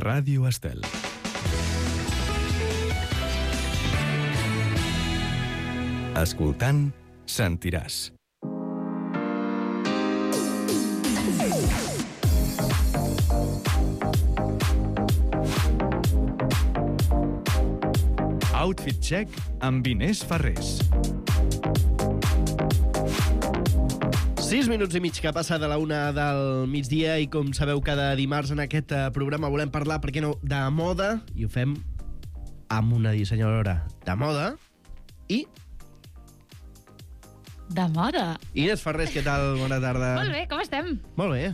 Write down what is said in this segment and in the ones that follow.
Ràdio Estel. Escoltant, sentiràs. Outfit Check amb Inés Ferrés. 6 minuts i mig que passa de la 1 del migdia i com sabeu cada dimarts en aquest programa volem parlar, per què no, de moda, i ho fem amb una dissenyadora de moda i... De moda. Inés Ferrés, què tal? Bona tarda. Molt bé, com estem? Molt bé.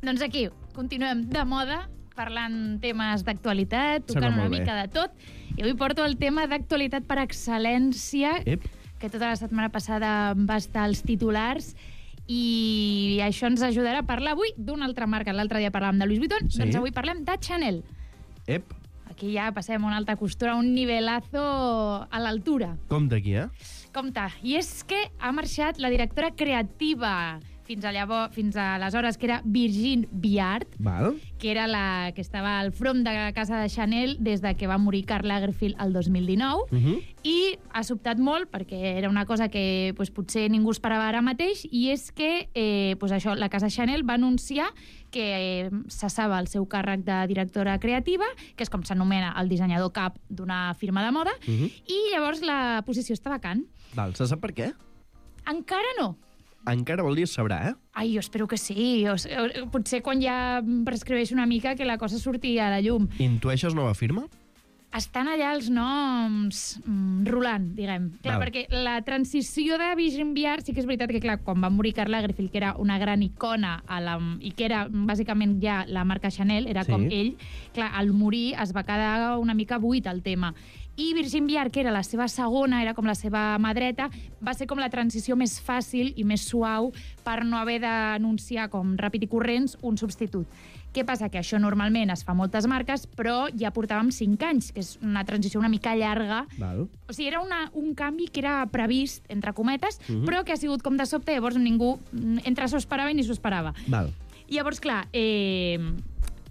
Doncs aquí, continuem de moda, parlant temes d'actualitat, Sembla tocant una molt bé. mica de tot. I avui porto el tema d'actualitat per excel·lència, Ep. que tota la setmana passada va estar als titulars, i això ens ajudarà a parlar avui d'una altra marca. L'altre dia parlàvem de Louis Vuitton, Sí. doncs avui parlem de Chanel. Ep. Aquí ja passem a una alta costura, un nivelazo a l'altura. Com d'aquí, Compte, i és que ha marxat la directora creativa fins aleshores, que era Virginie Viard, Val. que era la que estava al front de casa de Chanel des de que va morir Karl Lagerfeld el 2019, i ha sobtat molt perquè era una cosa que potser ningú esperava ara mateix, i és que això, la casa Chanel va anunciar que cessava el seu càrrec de directora creativa, que és com s'anomena el dissenyador cap d'una firma de moda, i llavors la posició està vacant. Val, se sap per què? Encara no. Encara vol dir es sabrà, Ai, jo espero que sí. Potser quan ja prescriveix una mica que la cosa surti a la llum. Intueixes nova firma? Estan allà els noms rolant, diguem. Clar, Val. perquè la transició de Virginie Viard sí que és veritat que, clar, quan va morir Karl Lagerfeld, que era una gran icona i que era bàsicament ja la marca Chanel, era com ell, clar, al morir es va quedar una mica buit el tema. I Virginie Viard, que era la seva segona, era com la seva mà dreta, va ser com la transició més fàcil i més suau per no haver d'anunciar com ràpid i corrents un substitut. Què passa? Que això normalment es fa a moltes marques, però ja portàvem 5 anys, que és una transició una mica llarga. Val. O sigui, era un canvi que era previst, entre cometes, però que ha sigut com de sobte, llavors ningú entre s'ho esperava i ni s'ho esperava. Val. Llavors, clar,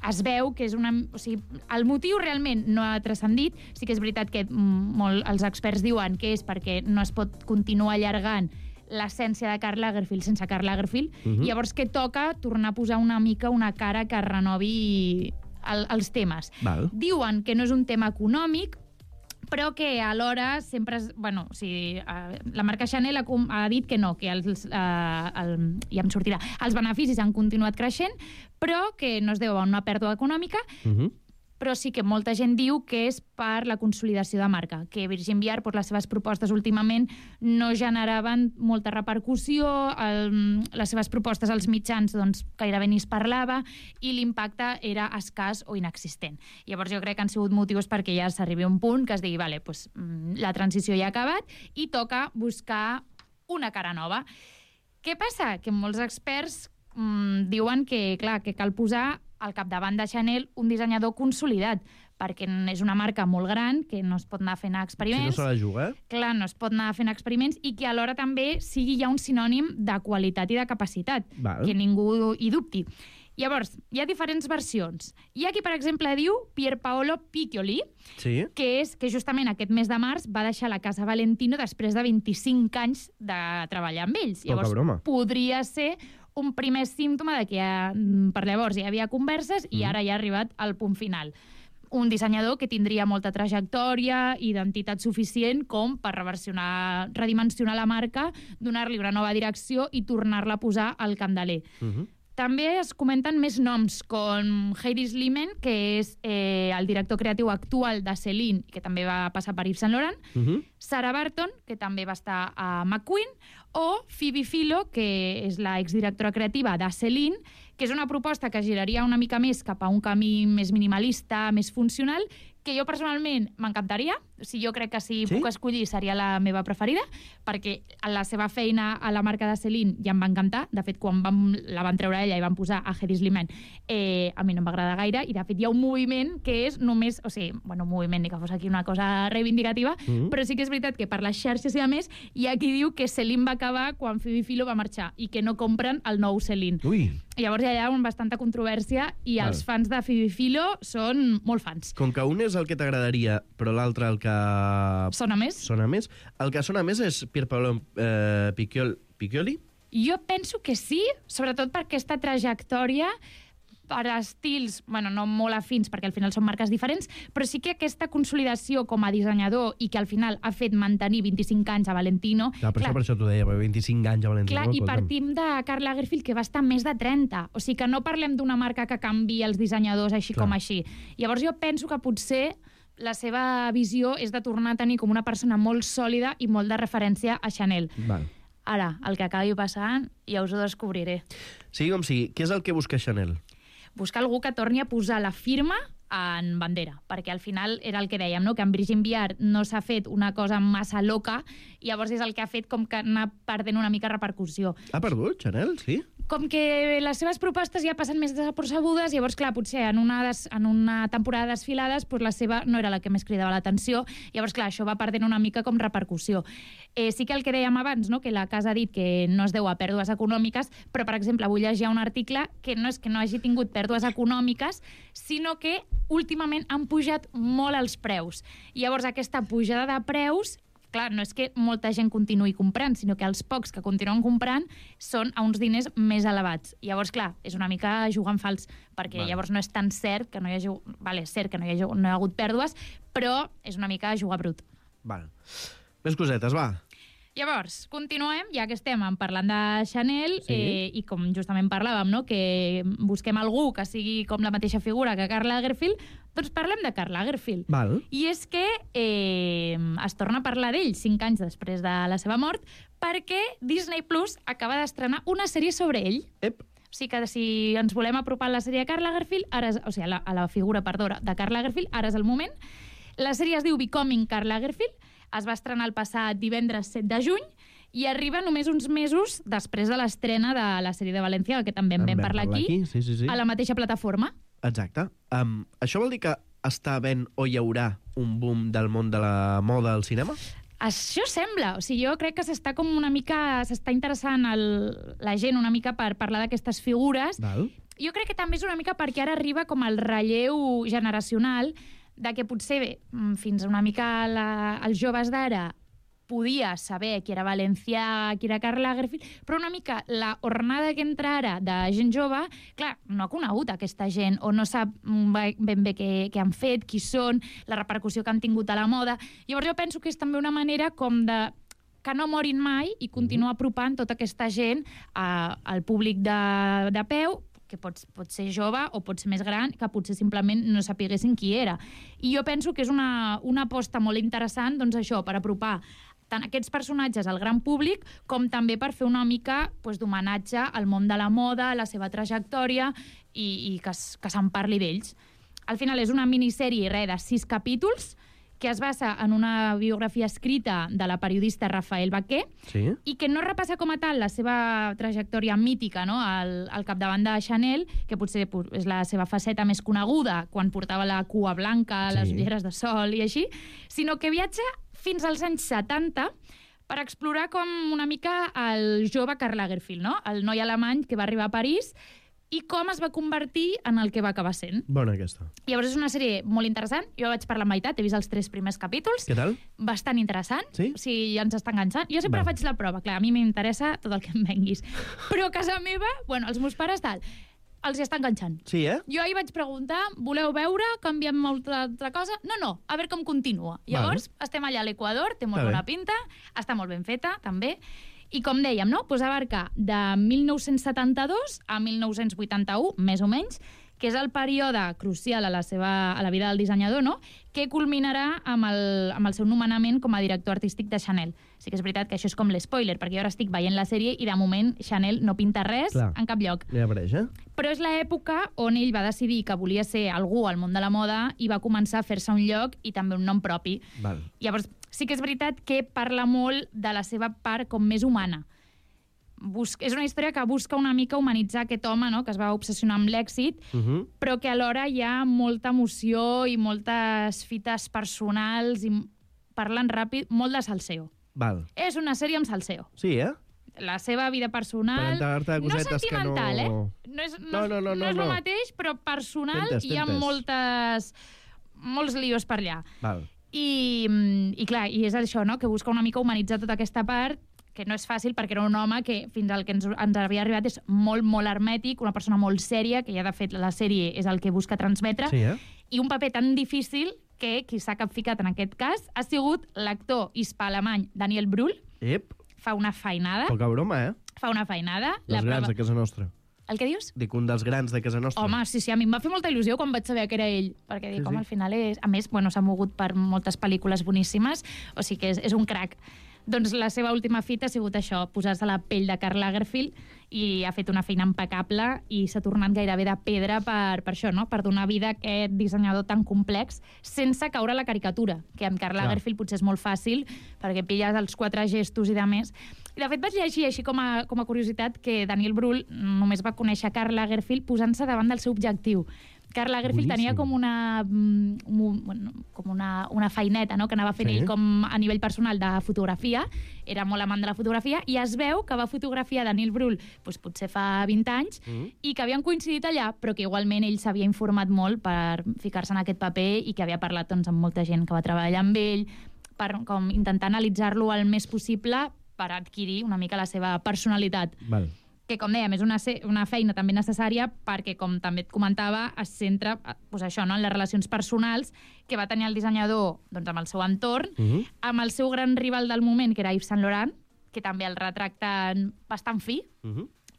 es veu que és o sigui, el motiu realment no ha transcendit. Sí que és veritat que els experts diuen que és perquè no es pot continuar allargant l'essència de Karl Lagerfeld sense Karl Lagerfeld, i llavors que toca tornar a posar una mica una cara que renovi els temes. Val. Diuen que no és un tema econòmic, però que alhora sempre la marca Chanel ha dit que no, que ja em sortirà, els beneficis han continuat creixent, però que no es deu a una pèrdua econòmica, però sí que molta gent diu que és per la consolidació de marca, que Virginie Viard, les seves propostes últimament no generaven molta repercussió, les seves propostes als mitjans gairebé ni es parlava, i l'impacte era escàs o inexistent. Llavors jo crec que han sigut motius perquè ja s'arribi a un punt que es digui, vale, la transició ja ha acabat i toca buscar una cara nova. Què passa? Que molts experts diuen que, clar, que cal posar al capdavant de Chanel un dissenyador consolidat, perquè és una marca molt gran, que no es pot anar fent experiments. Si no se la juga. Clar, no es pot anar fent experiments, i que alhora també sigui ja un sinònim de qualitat i de capacitat, Val. que ningú hi dubti. Llavors, hi ha diferents versions. Hi ha qui, per exemple, diu Pierpaolo Piccioli, Sí. que justament aquest mes de març va deixar la Casa Valentino després de 25 anys de treballar amb ells. Poca Llavors, broma. podria ser un primer símptoma de que per llavors ja hi havia converses i ara ja ha arribat al punt final. Un dissenyador que tindria molta trajectòria i identitat suficient com per redimensionar la marca, donar-li una nova direcció i tornar-la a posar al candeler. També es comenten més noms, com Heidi Sliman, que és el director creatiu actual de Celine, que també va passar per Yves Saint Laurent, Sarah Barton, que també va estar a McQueen, o Phoebe Philo, que és la exdirectora creativa de Celine, que és una proposta que giraria una mica més cap a un camí més minimalista, més funcional, que jo personalment m'encantaria. O sigui, jo crec que si puc escollir seria la meva preferida, perquè la seva feina a la marca de Celine ja em va encantar. De fet, quan la van treure ella i van posar a Hedi Slimane, a mi no m'agrada gaire, i de fet hi ha un moviment que és només, o sigui, bueno, un moviment, ni que fos aquí una cosa reivindicativa, però sí que és és veritat que per les xarxes i a més hi ha qui diu que Celine va acabar quan Phoebe Philo va marxar i que no compren el nou Celine. Ui. Llavors hi ha bastanta controvèrsia i els fans de Phoebe Philo són molt fans. Com que un és el que t'agradaria, però l'altre el que... Sona més? Sona més. El que sona més és Pierpaolo Piccioli? Jo penso que sí, sobretot per aquesta trajectòria per estils, bueno, no molt afins, perquè al final són marques diferents, però sí que aquesta consolidació com a dissenyador i que al final ha fet mantenir 25 anys a Valentino... Clar, per això t'ho deia, 25 anys a Valentino. Clar, i partim de Karl Lagerfeld, que va estar més de 30. O sigui que no parlem d'una marca que canvi els dissenyadors així com així. Llavors jo penso que potser la seva visió és de tornar a tenir com una persona molt sòlida i molt de referència a Chanel. Val. Ara, el que acabi passant, ja us ho descobriré. Sigui com sigui, què és el que busca Chanel? Buscar algú que torni a posar la firma en bandera, perquè al final era el que dèiem, no? Que amb Brigitte Billard no s'ha fet una cosa massa loca i llavors és el que ha fet com que anar perdent una mica repercussió. Ha perdut, Chanel, sí? Com que les seves propostes ja passen més desapercebudes, llavors, clar, potser en una temporada de desfilades doncs la seva no era la que més cridava l'atenció, llavors, clar, això va perdent una mica com repercussió. Sí que el que dèiem abans, no? Que la casa ha dit que no es deu a pèrdues econòmiques, però, per exemple, avui llegia un article que no és que no hagi tingut pèrdues econòmiques, sinó que últimament han pujat molt els preus. I llavors aquesta pujada de preus, clar, no és que molta gent continuï comprant, sinó que els pocs que continuen comprant són a uns diners més elevats. Llavors, clar, és una mica jugar en fals, perquè llavors no és tan cert que no hi hagi... Vale, és cert que no hi ha hagut pèrdues, però és una mica jugar brut. Val. Més cosetes, va. Llavors, continuem, ja que estem parlant de Chanel, Sí. I com justament parlàvem, no? Que busquem algú que sigui com la mateixa figura que Karl Lagerfeld, doncs parlem de Karl Lagerfeld. Val. I és que es torna a parlar d'ell 5 anys després de la seva mort, perquè Disney Plus acaba d'estrenar una sèrie sobre ell. Ep. O sigui que si ens volem apropar a la sèrie de Karl Lagerfeld, o sigui, a la figura, perdó, de Karl Lagerfeld, ara és el moment. La sèrie es diu Becoming Karl Lagerfeld, es va estrenar el passat divendres 7 de juny i arriba només uns mesos després de l'estrena de la sèrie de València, que també en vam parlar aquí, sí. a la mateixa plataforma. Exacte. Això vol dir que està havent o hi haurà un boom del món de la moda al cinema? Això sembla. O sigui, jo crec que s'està com una mica... S'està interessant la gent una mica per parlar d'aquestes figures. Val. Jo crec que també és una mica perquè ara arriba com el relleu generacional de que potser fins una mica els joves d'ara podia saber qui era Valencià, qui era Karl Lagerfeld, però una mica la hornada que entra ara de gent jove, clar, no ha conegut aquesta gent o no sap ben bé què han fet, qui són, la repercussió que han tingut a la moda. Llavors jo penso que és també una manera com de que no morin mai i continuar apropant tota aquesta gent al públic de peu, que pot ser jove o pot ser més gran, que potser simplement no sapiguessin qui era. I jo penso que és una aposta molt interessant, doncs això, per apropar tant aquests personatges al gran públic com també per fer una mica d'homenatge al món de la moda, a la seva trajectòria i que se'n parli d'ells. Al final és una minissèrie de 6 capítols que es basa en una biografia escrita de la periodista Rafael Baquer i que no repassa com a tal la seva trajectòria mítica, no? al capdavant de Chanel, que potser és la seva faceta més coneguda quan portava la cua blanca, les ulleres de sol i així, sinó que viatja fins als anys 70 per explorar com una mica el jove Karl Lagerfeld, no? El noi alemany que va arribar a París i com es va convertir en el que va acabar sent. Bona aquesta. Llavors és una sèrie molt interessant. Jo vaig per la meitat, he vist els 3 primers capítols. Què tal? Bastant interessant. Sí? O sigui, ens està enganxant. Jo sempre faig la prova. Clar, a mi m'interessa tot el que em venguis. Però a casa meva, els meus pares tal, els hi està enganxant. Sí, Jo ahir vaig preguntar, voleu veure, canviem molta altra cosa? No, a veure com continua. Llavors, estem allà a l'Equador, té molt bona pinta, està molt ben feta, també. I com dèiem, no? Abarca de 1972 a 1981, més o menys, que és el període crucial a la vida del dissenyador, no? Que culminarà amb el seu nomenament com a director artístic de Chanel. Sí que és veritat que això és com l'espoiler, perquè jo ara estic veient la sèrie i de moment Chanel no pinta res en cap lloc. Ja apareix, Però és l'època on ell va decidir que volia ser algú al món de la moda i va començar a fer-se un lloc i també un nom propi. Val. Llavors, sí que és veritat que parla molt de la seva part com més humana. És una història que busca una mica humanitzar aquest home, no? Que es va obsessionar amb l'èxit, però que alhora hi ha molta emoció i moltes fites personals i parlant ràpid, molt de salseo. Val. És una sèrie amb salseo. Sí, eh? La seva vida personal... Per enterar-te de no cosetes que no... sentimental, No és el mateix, però personal hi ha molts lios per allà. Val. I clar, i és això, no?, que busca una mica humanitzar tota aquesta part, que no és fàcil perquè era un home que fins al que ens havia arribat és molt, molt hermètic, una persona molt sèria, que ja de fet la sèrie és el que busca transmetre, Sí, i un paper tan difícil que qui s'ha capficat en aquest cas ha sigut l'actor hispà-alemany Daniel Brühl. Ep, Fa una feinada. poca broma, eh? Fa una feinada. Dels grans de casa nostra. El que dius? Dic, un dels grans de casa nostra. Home, sí, a mi em va fer molta il·lusió quan vaig saber que era ell, perquè dic, Sí. al final és... A més, bueno, s'ha mogut per moltes pel·lícules boníssimes, o sigui que és un crac. Doncs la seva última fita ha sigut això, posar-se la pell de Karl Lagerfeld, i ha fet una feina impecable i s'ha tornat gairebé de pedra per això, no?, per donar vida a aquest dissenyador tan complex sense caure a la caricatura, que amb Karl Lagerfeld potser és molt fàcil perquè pilles els 4 gestos i de més. I de fet vaig llegir així com a curiositat que Daniel Brühl només va conèixer Karl Lagerfeld posant-se davant del seu objectiu. Karl Lagerfeld tenia com una feineta, no?, que anava fent ell com a nivell personal de fotografia, era molt amant de la fotografia, i es veu que va fotografiar Daniel Brühl doncs, potser fa 20 anys, i que havien coincidit allà, però que igualment ell s'havia informat molt per ficar-se en aquest paper i que havia parlat doncs, amb molta gent que va treballar amb ell, per com, intentar analitzar-lo el més possible per adquirir una mica la seva personalitat. Val. Que, com dèiem, és una feina també necessària perquè, com també et comentava, es centra doncs això, no?, en les relacions personals que va tenir el dissenyador doncs, amb el seu entorn, amb el seu gran rival del moment, que era Yves Saint Laurent, que també el retracten bastant fi.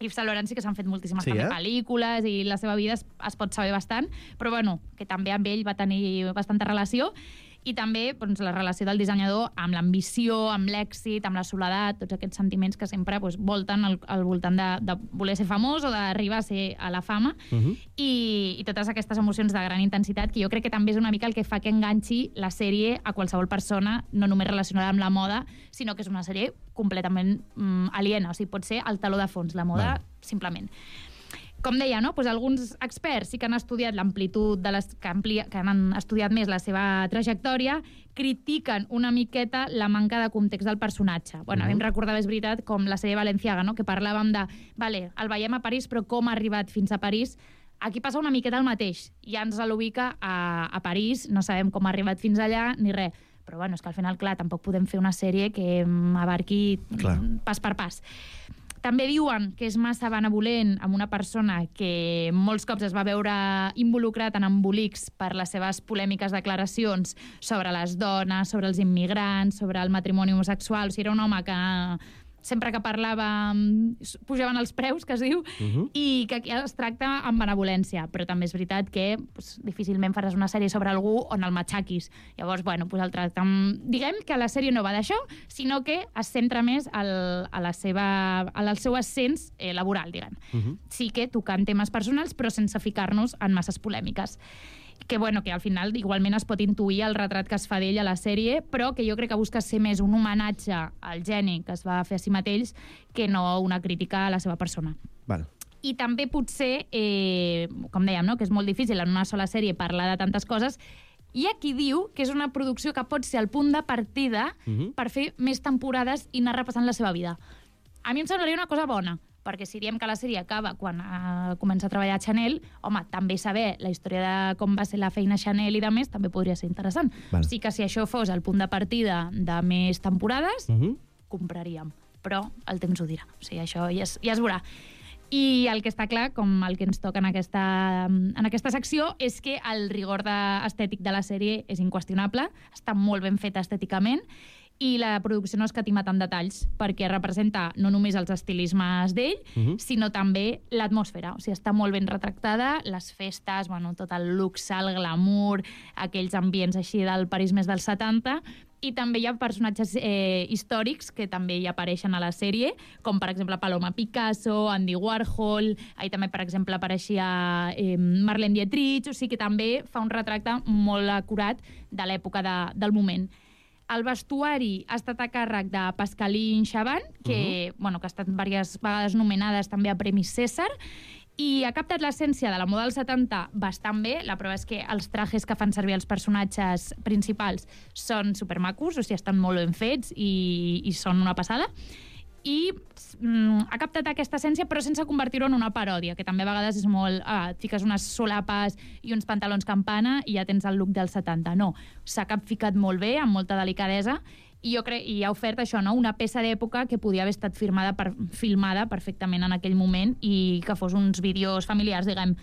Yves Saint Laurent sí que s'han fet moltíssimes pel·lícules i la seva vida es pot saber bastant, però bueno, que també amb ell va tenir bastanta relació. I també doncs, la relació del dissenyador amb l'ambició, amb l'èxit, amb la soledat, tots aquests sentiments que sempre doncs, volten al voltant de voler ser famós o d'arribar a ser a la fama, i totes aquestes emocions de gran intensitat, que jo crec que també és una mica el que fa que enganxi la sèrie a qualsevol persona, no només relacionada amb la moda, sinó que és una sèrie completament aliena, o sigui, pot ser el taló de fons, la moda, simplement. Com deia, no? Pues alguns experts sí que han estudiat l'amplitud que han estudiat més la seva trajectòria, critiquen una miqueta la manca de context del personatge. Bueno, a mi em recordava, és veritat, com la sèrie Balenciaga, no?, que parlàvem de, vale, el veiem a París, però com ha arribat fins a París? Aquí passa una miqueta el mateix. Ja ens l'ubica a París, no sabem com ha arribat fins allà, ni res. Però bueno, és que al final, clar, tampoc podem fer una sèrie que abarqui pas per pas. També diuen que és massa benevolent amb una persona que molts cops es va veure involucrat en embolics per les seves polèmiques declaracions sobre les dones, sobre els immigrants, sobre el matrimoni homosexual. O sigui, era un home que sempre que parlava pujaven els preus, que es diu, i que aquí es tracta amb benevolència. Però també és veritat que difícilment faràs una sèrie sobre algú on el matxaquis. Llavors, bueno, el tracte... Diguem que la sèrie no va d'això, sinó que es centra més al seu ascens laboral, diguem. Sí que tocant temes personals, però sense ficar-nos en masses polèmiques. Que, bueno, que al final igualment es pot intuir el retrat que es fa d'ell a la sèrie, però que jo crec que busca ser més un homenatge al geni que es va fer a si mateix que no una crítica a la seva persona. Val. I també potser, com dèiem, no?, que és molt difícil en una sola sèrie parlar de tantes coses. Hi ha qui diu que és una producció que pot ser el punt de partida per fer més temporades i anar repassant la seva vida. A mi em semblaria una cosa bona, perquè si diem que la sèrie acaba quan comença a treballar a Chanel, home, també saber la història de com va ser la feina Chanel i de més també podria ser interessant. Val. O sigui que si això fos el punt de partida de més temporades, compraríem. Però el temps ho dirà. O sigui, això ja es veurà. I el que està clar, com el que ens toca en aquesta secció, és que el rigor estètic de la sèrie és inqüestionable, està molt ben feta estèticament, i la producció no escatima tant detalls perquè representa no només els estilismes d'ell, sinó també l'atmosfera. O sigui, està molt ben retractada, les festes, bueno, tot el luxe, el glamour, aquells ambients així del París més dels 70, i també hi ha personatges històrics que també hi apareixen a la sèrie, com per exemple Paloma Picasso, Andy Warhol, ahí també per exemple apareixia Marlene Dietrich, o sigui que també fa un retracte molt acurat de l'època del moment. El vestuari ha estat a càrrec de Pascaline Chaban, que ha estat diverses vegades nominades també a Premis César, I ha captat l'essència de la moda dels 70 bastant bé. La prova és que els trajes que fan servir els personatges principals són supermacos, o sigui, estan molt ben fets i són una passada. I ha captat aquesta essència, però sense convertir-ho en una paròdia, que també a vegades és molt... et fiques unes solapes i uns pantalons campana i ja tens el look dels 70. No, s'ha capficat molt bé, amb molta delicadesa, i ha ofert això, no? Una peça d'època que podia haver estat filmada perfectament en aquell moment i que fos uns vídeos familiars, diguem.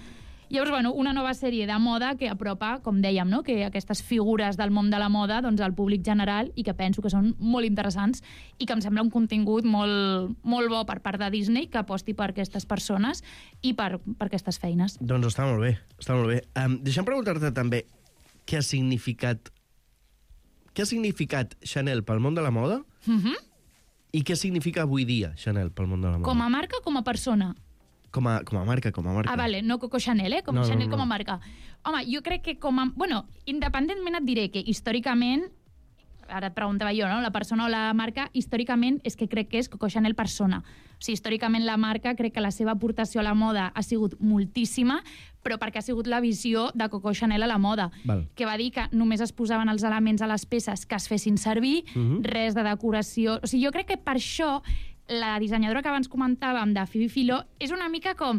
Llavors, bueno, una nova sèrie de moda que apropa, com dèiem, no? Que aquestes figures del món de la moda doncs, al públic general i que penso que són molt interessants i que em sembla un contingut molt, molt bo per part de Disney que aposti per aquestes persones i per aquestes feines. Doncs està molt bé, està molt bé. Deixa'm preguntar-te també què ha significat Chanel pel món de la moda i què significa avui dia Chanel pel món de la moda. Com a marca o com a persona? Com a marca. Ah, vale, no Coco Chanel, No, Chanel no. com a marca. Home, jo crec que Bueno, independentment et diré que històricament, ara et preguntava jo, no? La persona o la marca, històricament és que crec que és Coco Chanel persona. O sigui, històricament la marca crec que la seva aportació a la moda ha sigut moltíssima, però perquè ha sigut la visió de Coco Chanel a la moda, Val. que va dir que només es posaven els elements a les peces que es fessin servir, res de decoració... O sigui, jo crec que per això la dissenyadora que abans comentàvem, de Phoebe Philo, és una mica com...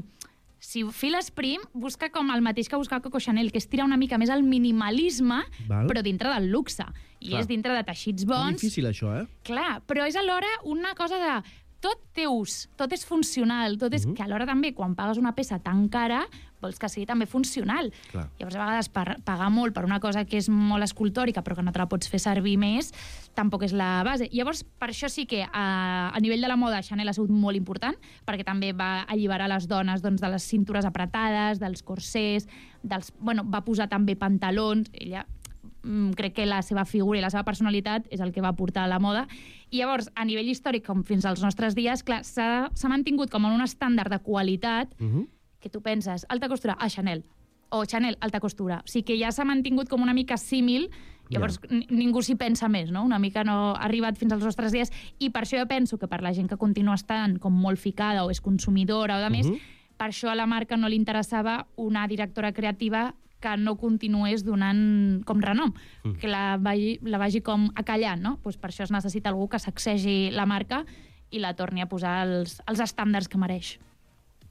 Si files prim, busca com el mateix que busca Coco Chanel, que és tirar una mica més al minimalisme, Val. però dintre del luxe. I Clar. és dintre de teixits És bons. difícil, això, eh? Clar, però és alhora una cosa de... Tot té ús, tot és funcional, tot és que alhora també, quan pagues una peça tan cara, vols que sigui també funcional. Clar. Llavors, a vegades, pagar molt per una cosa que és molt escultòrica, però que no te la pots fer servir més, tampoc és la base. Llavors, per això sí que a nivell de la moda, Chanel ha sigut molt important, perquè també va alliberar les dones doncs, de les cintures apretades, dels corsers, va posar també pantalons. Ella crec que la seva figura i la seva personalitat és el que va portar a la moda. I llavors, a nivell històric, com fins als nostres dies, clar, s'ha mantingut com en un estàndard de qualitat que tu penses, alta costura, Chanel, o Chanel, alta costura. O sigui que ja s'ha mantingut com una mica símil, llavors ningú s'hi pensa més, no? Una mica no ha arribat fins als nostres dies, i per això jo penso que per la gent que continua estant com molt ficada o és consumidora o de més, per això a la marca no li interessava una directora creativa que no continués donant com renom, que la vagi com acallant, no? Pues per això es necessita algú que sacsegi la marca i la torni a posar els estàndards que mereix.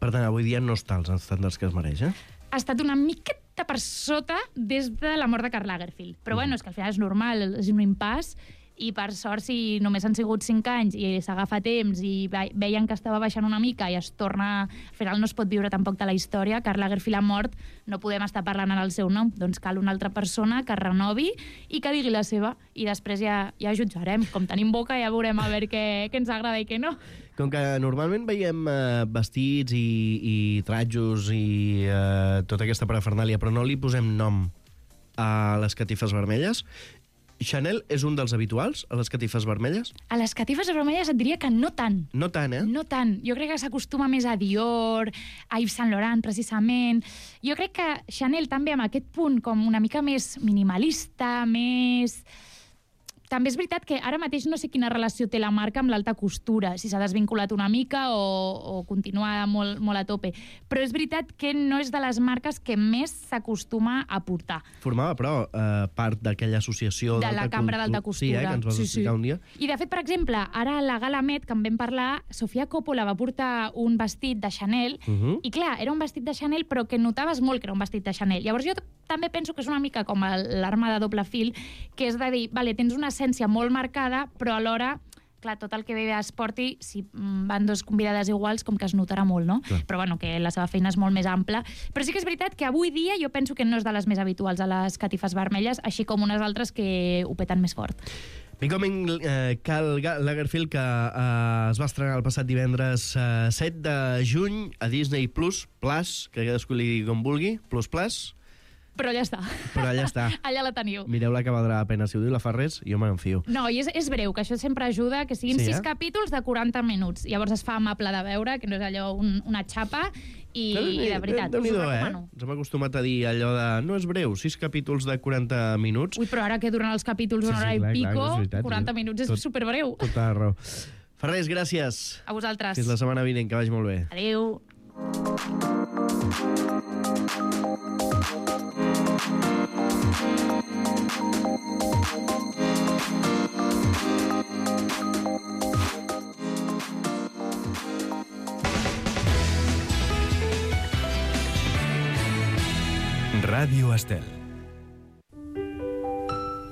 Per tant, avui dia no està als estàndards que es mereix, eh? Ha estat una miqueta per sota des de la mort de Karl Lagerfeld. Però bueno, és que al final és normal, és un impàs, i per sort, si només han sigut 5 anys i s'agafa temps i veien que estava baixant una mica i es torna... Al final no es pot viure tampoc de la història. Karl Lagerfeld ha mort, no podem estar parlant en el seu nom. Doncs cal una altra persona que renovi i que digui la seva. I després ja jutjarem. Com tenim boca ja veurem a veure què ens agrada i què no. Com que normalment veiem vestits i tratjos i tota aquesta parafernàlia, però no li posem nom a les catifes vermelles, Chanel és un dels habituals a les catifes vermelles? A les catifes vermelles et diria que no tant. No tant, eh? No tant. Jo crec que s'acostuma més a Dior, a Yves Saint Laurent, precisament. Jo crec que Chanel també amb aquest punt com una mica més minimalista, més... També és veritat que ara mateix no sé quina relació té la marca amb l'alta costura, si s'ha desvinculat una mica o continua molt, molt a tope. Però és veritat que no és de les marques que més s'acostuma a portar. Formava, però, part d'aquella associació... De la cambra d'alta costura. Sí, que ens vas explicar un dia. I, de fet, per exemple, ara a la Gala Met, que en vam parlar, Sofia Coppola va portar un vestit de Chanel, i clar, era un vestit de Chanel, però que notaves molt que era un vestit de Chanel. Llavors jo també penso que és una mica com l'arma de doble fil, que és de dir, vale, tens una essència molt marcada, però alhora, clar, tot el que ve es porti, si van dos convidades iguals, com que es notarà molt, no? Clar. Però bueno, que la seva feina és molt més ampla. Però sí que és veritat que avui dia jo penso que no és de les més habituals a les catifes vermelles, així com unes altres que ho peten més fort. Becoming Karl Lagerfeld, que es va estrenar el passat divendres 7 de juny a Disney Plus, que cadascú li digui com vulgui, Plus, Però allà està. però allà està. Allà la teniu. Mireu-la que valdrà la pena. Si ho diu la Farrés, jo me'n fio. No, i és breu, que això sempre ajuda, que siguin Sí, 6 capítols de 40 minuts. Llavors es fa amable de veure, que no és allò una xapa, i de veritat, us ho recomano. Ens hem acostumat a dir allò de... No és breu, 6 capítols de 40 minuts. Ui, però ara que duren els capítols una hora i pico, és veritat, 40 minuts és superbreu. Tota la raó. Farrés, gràcies. A vosaltres. Fins la setmana vinent, que vagi molt bé. Adéu. Ràdio Estel.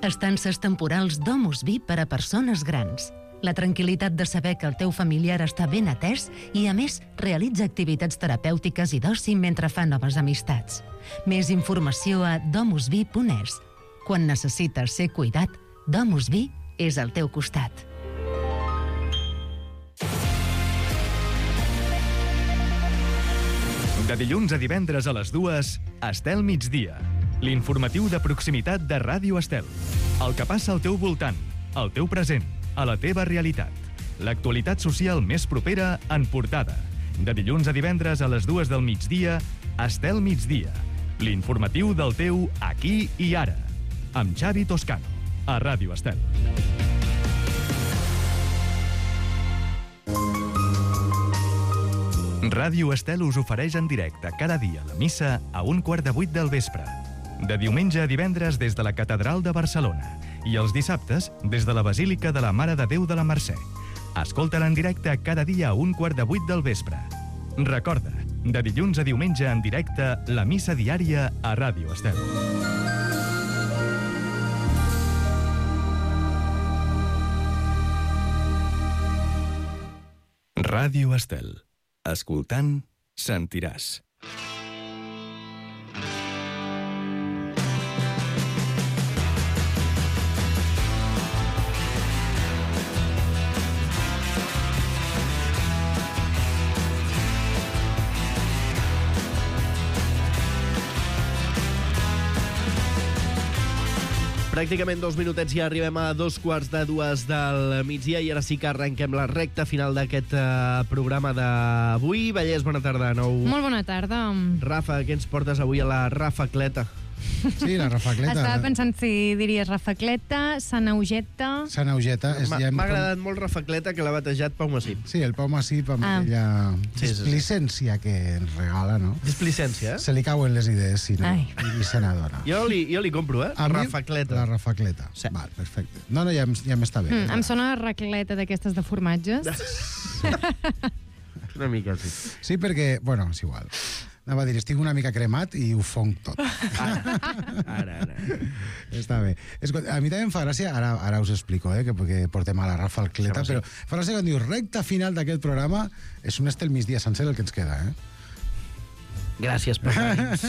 Estances temporals Domus Vi per a persones grans. La tranquil·litat de saber que el teu familiar està ben atès i, a més, realitza activitats terapèutiques i d'oci mentre fa noves amistats. Més informació a domusvi.es. Quan necessites ser cuidat, Domus Vi és al teu costat. De dilluns a divendres a les 2, Estel Migdia. L'informatiu de proximitat de Ràdio Estel. El que passa al teu voltant, al teu present, a la teva realitat. L'actualitat social més propera en portada. De dilluns a divendres a les 2 del migdia, Estel Migdia. L'informatiu del teu aquí i ara. Amb Xavi Toscano, a Ràdio Estel. Ràdio Estel us ofereix en directe cada dia la missa a 7:15 del vespre. De diumenge a divendres des de la Catedral de Barcelona i els dissabtes des de la Basílica de la Mare de Déu de la Mercè. Escolta-la en directe cada dia a 7:15 del vespre. Recorda, de dilluns a diumenge en directe, la missa diària a Ràdio Estel. Ràdio Estel. Escoltant, sentiràs. Pràcticament 2 minutets i arribem a 2:15 del migdia i ara sí que arrenquem la recta final d'aquest programa d'avui. Vallès, bona tarda de nou. Molt bona tarda. Rafa, què ens portes avui a la rafacleta? Sí, la rafacleta. Estava pensant si diries rafacleta, sanaugeta... Sanaugeta. M'ha agradat molt rafacleta, que l'ha batejat Pau Massip. Sí, el Pau Massip amb aquella displicència que ens regala, no? Displicència, eh? Se li cauen les idees, si no, i se n'adona. Jo li compro, eh? Rafacleta. La rafacleta. Sí. Val, perfecte. No, ja m'està bé. Em sona racleta d'aquestes de formatges. Una mica, sí. Sí, perquè, bueno, és igual. Anava a dir, estic una mica cremat i ho fonc tot. Ara. Està bé. Escolta, a mi també em fa gràcia, ara us explico, que portem a la rafacleta, però fa gràcia quan dius recta final d'aquest programa, és un Estel Migdia sencer el que ens queda, Gràcies, Pagans.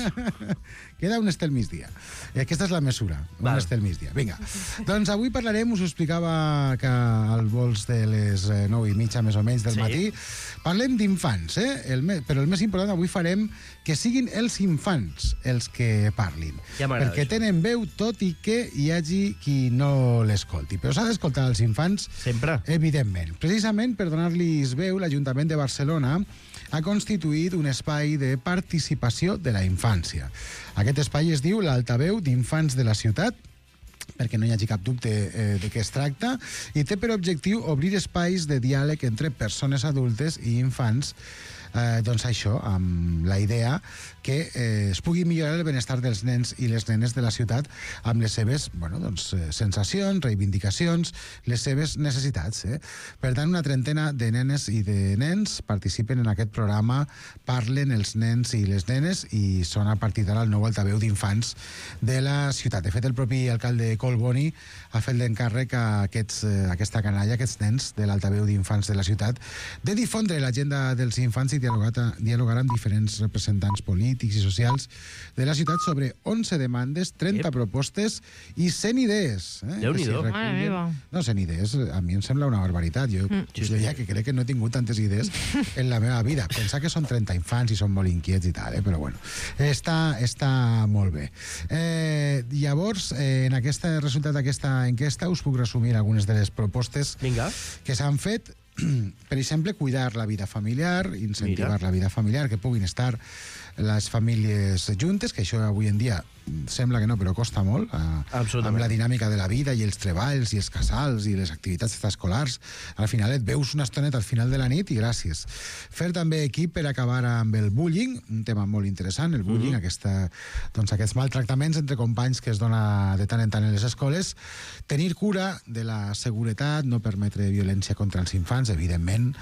Queda un Estel Migdia. Aquesta és la mesura, un Estel Migdia. Vinga. Doncs avui parlarem, us ho explicava que al vols de les 9:30 més o menys del matí, parlem d'infants, però el més important avui farem que siguin els infants els que parlin. Ja m'agrada perquè això. tenen veu, tot i que hi hagi qui no l'escolti. Però s'ha d'escoltar els infants, Sempre. Evidentment. Precisament per donar-los veu, l'Ajuntament de Barcelona ha constituït un espai de participació de la infància. Aquest espai es diu l'Altaveu d'Infants de la Ciutat, perquè no hi hagi cap dubte de què es tracta, i té per objectiu obrir espais de diàleg entre persones adultes i infants, doncs això, amb la idea que es pugui millorar el benestar dels nens i les nenes de la ciutat amb les seves sensacions, reivindicacions, les seves necessitats. Per tant, una trentena de nenes i de nens participen en aquest programa, parlen els nens i les nenes i són a partir d'ara el nou altaveu d'infants de la ciutat. De fet, el propi alcalde Colboni ha fet l'encàrrec a aquesta canalla, aquests nens de l'altaveu d'infants de la ciutat, de difondre l'agenda dels infants i dialogar amb diferents representants polítics i socials de la ciutat sobre 11 demandes, 30 propostes i 100 idees. Déu-n'hi-do. Mare meva. No, 100 idees, a mi em sembla una barbaritat. Jo deia que crec que no he tingut tantes idees en la meva vida. Pensar que són 30 infants i són molt inquiets i tal, però bueno, està molt bé. Llavors, en aquest resultat d'aquesta enquesta us puc resumir algunes de les propostes que s'han fet. Per exemple, cuidar la vida familiar, incentivar la vida familiar, que puguin estar les famílies juntes, que això avui en dia sembla que no, però costa molt, amb la dinàmica de la vida i els treballs i els casals i les activitats extraescolars. Al final et veus una estoneta al final de la nit i gràcies. Fer també equip per acabar amb el bullying, un tema molt interessant, el bullying, aquests maltractaments entre companys que es dona de tant en tant en les escoles, tenir cura de la seguretat, no permetre violència contra els infants, evidentment,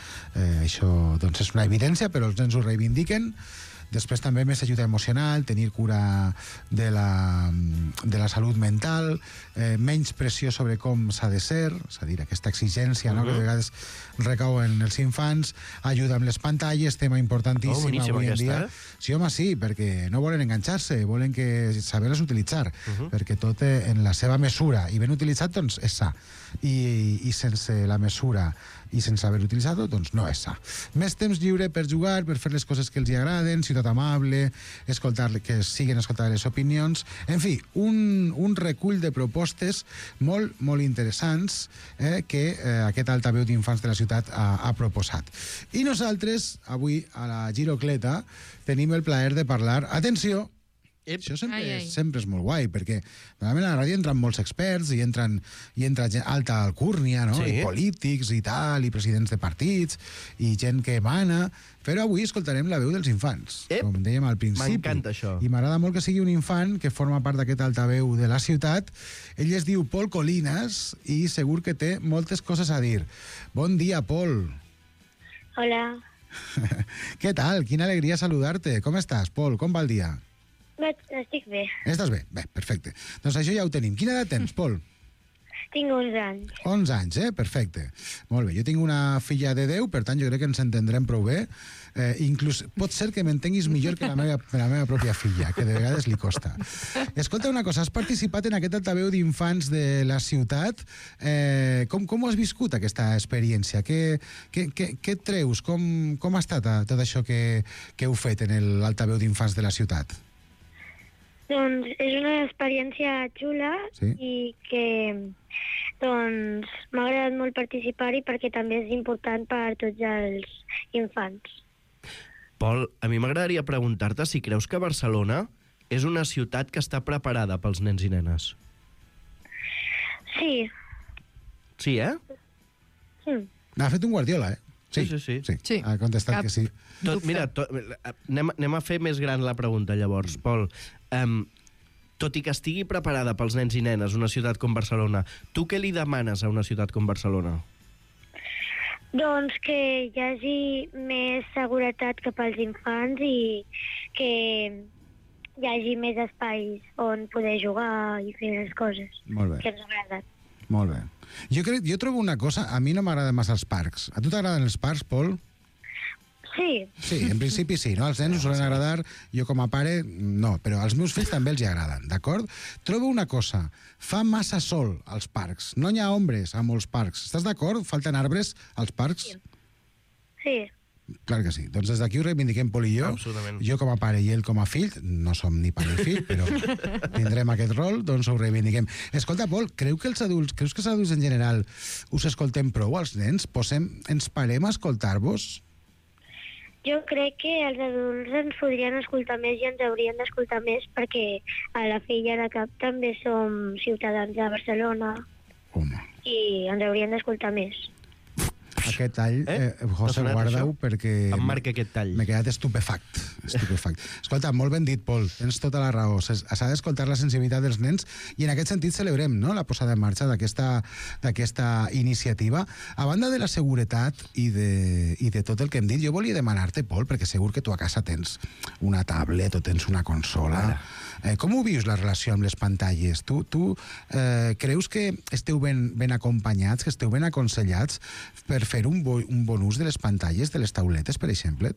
això és una evidència, però els nens ho reivindiquen. Després també més ajuda emocional, tenir cura de la salut mental, menys pressió sobre com s'ha de ser, és a dir, aquesta exigència que de vegades recau en els infants, ajuda amb les pantalles, tema importantíssim avui en dia. Sí, home, sí, perquè no volen enganxar-se, volen saber-les utilitzar, perquè tot en la seva mesura, i ben utilitzat, doncs, és sa. I sense la mesura i sense haver utilitzat-ho, doncs no és sa. Més temps lliure per jugar, per fer les coses que els agraden, ciutat amable, que siguen escoltar les opinions... En fi, un recull de propostes molt, molt interessants que aquest altaveu d'infants de la ciutat ha proposat. I nosaltres, avui, a la Girocleta, tenim el plaer de parlar... Atenció! Això sempre és molt guai, perquè normalment a la ràdio entren molts experts i entra gent alta alcúrnia, no? I polítics i tal, i presidents de partits, i gent que emana, però avui escoltarem la veu dels infants, com dèiem al principi. M'encanta això. I m'agrada molt que sigui un infant que forma part d'aquest altaveu de la ciutat. Ell es diu Pol Colinas i segur que té moltes coses a dir. Bon dia, Pol. Hola. Què tal? Quina alegria saludar-te. Com estàs, Pol? Com va el dia? Estic bé. Estàs bé? Bé, perfecte. Doncs això ja ho tenim. Quina edat tens, Pol? Tinc 11 anys. 11 anys, perfecte. Molt bé. Jo tinc una filla de 10, per tant jo crec que ens entendrem prou bé. Inclús pot ser que m'entenguis millor que la meva pròpia filla, que de vegades li costa. Escolta una cosa, has participat en aquest altaveu d'infants de la ciutat. Com has viscut aquesta experiència? Què et treus? Com ha estat tot això que heu fet en l'altaveu d'infants de la ciutat? Doncs és una experiència xula i que m'ha agradat molt participar-hi perquè també és important per tots els infants. Pol, a mi m'agradaria preguntar-te si creus que Barcelona és una ciutat que està preparada pels nens i nenes. Sí. Sí, N'ha fet un Guardiola, Sí. Ha contestat que sí. Anem a fer més gran la pregunta, llavors. Pol, tot i que estigui preparada pels nens i nenes una ciutat com Barcelona, tu què li demanes a una ciutat com Barcelona? Doncs que hi hagi més seguretat cap als infants i que hi hagi més espais on poder jugar i fer les coses que ens agraden. Molt bé. Jo trobo una cosa, a mi no m'agraden massa els parcs. A tu t'agraden els parcs, Pol? Sí. Sí, en principi sí, no? Als nens us solen agradar, jo com a pare no, però als meus fills també els hi agraden, d'acord? Trobo una cosa, fa massa sol als parcs, no hi ha ombres a molts parcs. Estàs d'acord? Falten arbres als parcs? Sí. Clar que sí. Doncs des d'aquí ho reivindiquem, Pol i jo. Absolutament. Jo com a pare i ell com a fill, no som ni pare ni fill, però tindrem aquest rol, doncs ho reivindiquem. Escolta, Pol, creus que els adults en general us escoltem prou, als nens? Ens parem a escoltar-vos? Jo crec que els adults ens podrien escoltar més i ens haurien d'escoltar més perquè a la fi i a la cap també som ciutadans de Barcelona. Home. I ens haurien d'escoltar més. Aquest tall, José, guarda-ho, perquè... Em marca aquest tall. M'he quedat estupefact. Escolta, molt ben dit, Pol, tens tota la raó. S'ha d'escoltar la sensibilitat dels nens i en aquest sentit celebrem, no?, la posada en marxa d'aquesta iniciativa. A banda de la seguretat i de tot el que hem dit, jo volia demanar-te, Pol, perquè segur que tu a casa tens una tablet o tens una consola. Com ho vius, la relació amb les pantalles? Tu creus que esteu ben acompanyats, que esteu ben aconsellats per fer un bon ús de les pantalles, de les tauletes, per exemple?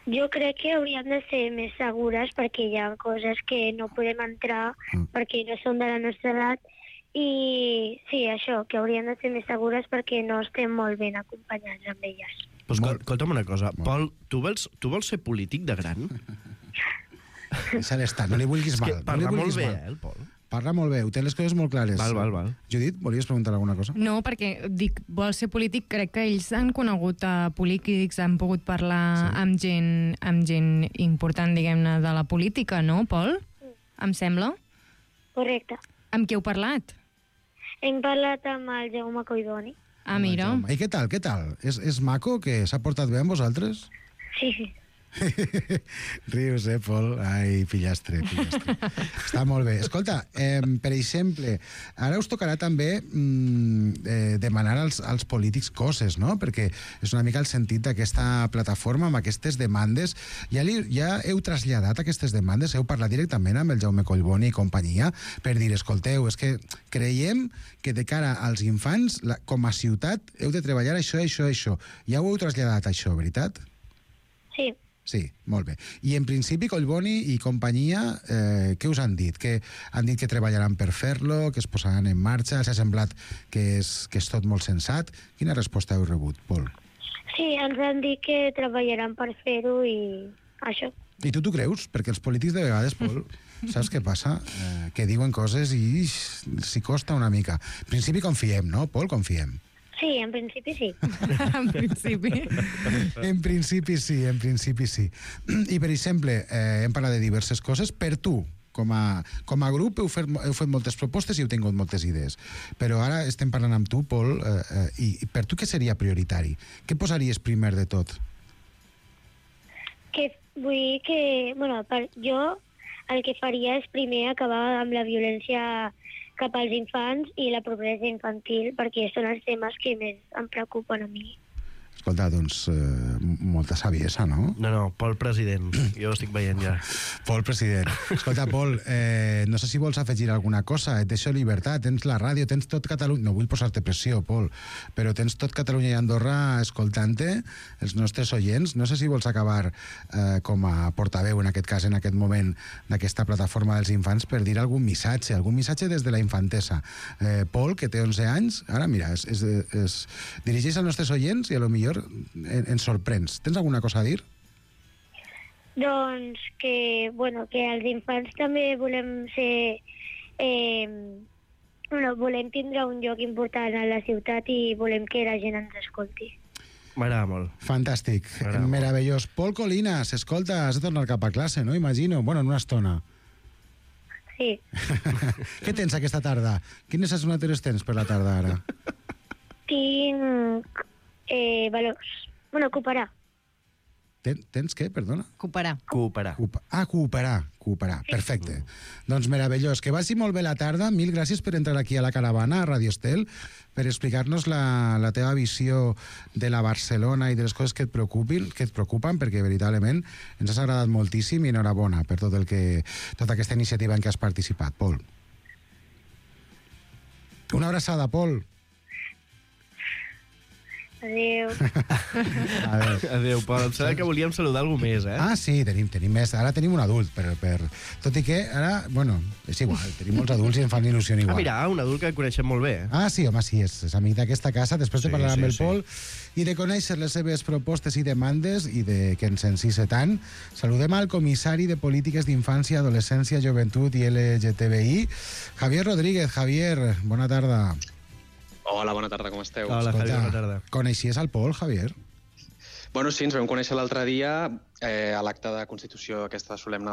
Jo crec que hauríem de ser més segures perquè hi ha coses que no podem entrar perquè no són de la nostra edat i sí, això, que hauríem de ser més segures perquè no estem molt ben acompanyats amb elles. Escolta'm una cosa, Pol, tu vols ser polític de gran? Deixa-l'hi estar, no li vulguis mal. Parla molt bé, el Pol. Parla molt bé, ho té les coses molt clares. Val. Judit, volies preguntar alguna cosa? No, perquè dic, vol ser polític, crec que ells han conegut polítics, han pogut parlar amb gent important, diguem-ne, de la política, no, Pol? Em sembla? Correcte. Amb qui heu parlat? Hem parlat amb el Jaume Collboni. Ah, mira. I què tal? És maco, que s'ha portat bé amb vosaltres? Sí. Rius, Pol? Ai, pillastre. Està molt bé. Escolta, per exemple, ara us tocarà també demanar als polítics coses, no? Perquè és una mica el sentit d'aquesta plataforma, amb aquestes demandes. Ja heu traslladat aquestes demandes? Heu parlat directament amb el Jaume Collboni i companyia per dir, escolteu, és que creiem que de cara als infants, com a ciutat, heu de treballar això. Ja ho heu traslladat, això, veritat? Sí. Sí, molt bé. I en principi Collboni i companyia, què us han dit? Que han dit que treballaran per fer-lo, que es posaran en marxa, s'ha semblat que és tot molt sensat. Quina resposta heu rebut, Pol? Sí, ens han dit que treballaran per fer-ho i això. I tu t'ho creus? Perquè els polítics de vegades, Pol, saps què passa? Que diuen coses i s'hi costa una mica. En principi confiem, no, Pol? Confiem. Sí, en principi sí. En principi. En principi sí. I, per exemple, hem parlat de diverses coses. Per tu, com a grup, heu fet moltes propostes i heu tingut moltes idees. Però ara estem parlant amb tu, Pol, i per tu què seria prioritari? Què posaries primer de tot? Vull dir que, jo el que faria és primer acabar amb la violència cap als infants i la pobresa infantil, perquè són els temes que més em preocupen a mi. Escolta, doncs, molta saviesa, no? No, Pol president. Jo ho estic veient ja. Pol president. Escolta, Pol, no sé si vols afegir alguna cosa. Et deixo llibertat, tens la ràdio, tens tot Catalunya... No vull posar-te pressió, Pol, però tens tot Catalunya i Andorra escoltant-te, els nostres oients. No sé si vols acabar com a portaveu, en aquest cas, en aquest moment, d'aquesta plataforma dels infants, per dir algun missatge des de la infantesa. Pol, que té 11 anys, ara, mira, es dirigeix als nostres oients i a lo millor ens sorprens. Tens alguna cosa a dir? Doncs que els infants també volem ser... volem tindre un lloc important a la ciutat i volem que la gent ens escolti. M'agrada molt. Fantàstic, meravellós. Pol Colinas, escolta, has de tornar cap a classe, no? Imagino. Bueno, en una estona. Sí. Què tens aquesta tarda? Quines assignatures tens per la tarda, ara? Tinc... valors. Cooperar. Tens què, perdona? Cooperar. Cooperar. Perfecte. Doncs meravellós. Que vagi molt bé la tarda. Mil gràcies per entrar aquí a la caravana, a Radio Estel, per explicar-nos la teva visió de la Barcelona i de les coses que et preocupen, perquè veritablement ens has agradat moltíssim i enhorabona per tota aquesta iniciativa en què has participat, Pol. Una abraçada, Pol. Adéu. Adéu, Pol. Em sembla que volíem saludar algú més, eh? Ah, sí, tenim més. Ara tenim un adult, tot i que ara, és igual, tenim molts adults i em fan il·lusió igual. Ah, mira, un adult que coneixem molt bé. Ah, sí, home, sí, és amic d'aquesta casa. Després de parlar amb el Pol i de conèixer les seves propostes i demandes i de que ens encise tant, saludem al comissari de Polítiques d'Infància, Adolescència, Joventut i LGTBI, Javier Rodríguez. Javier, bona tarda. Hola, bona tarda, com esteu? Hola, Javier, bona tarda. Coneixies el Pol, Javier? Bueno, sí, ens vam conèixer l'altre dia a l'acte de constitució aquesta solemne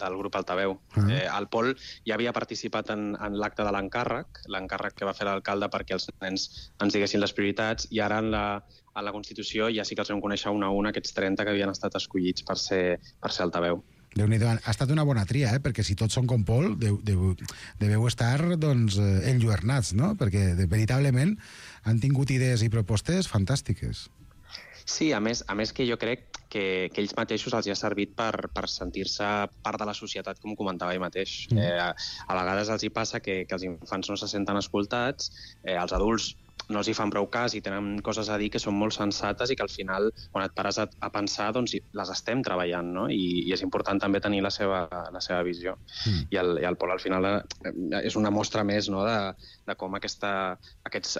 del grup Altaveu. El Pol ja havia participat en l'acte de l'encàrrec que va fer l'alcalde perquè els nens ens diguessin les prioritats, i ara en la constitució ja sí que els vam conèixer un a un aquests 30 que havien estat escollits per ser Altaveu. Déu-n'hi-do, ha estat una bona tria, perquè si tots són com Pol, deveu estar, doncs, enlluernats, no? Perquè, veritablement, han tingut idees i propostes fantàstiques. Sí, a més que jo crec que ells mateixos els ha servit per sentir-se part de la societat, com comentava ell mateix. A vegades els hi passa que els infants no se senten escoltats, els adults no els hi fan prou cas i tenen coses a dir que són molt sensates i que al final, quan et pares a pensar, doncs les estem treballant, no? I és important també tenir la seva visió. I el Pol, al final, és una mostra més, no?, de com aquests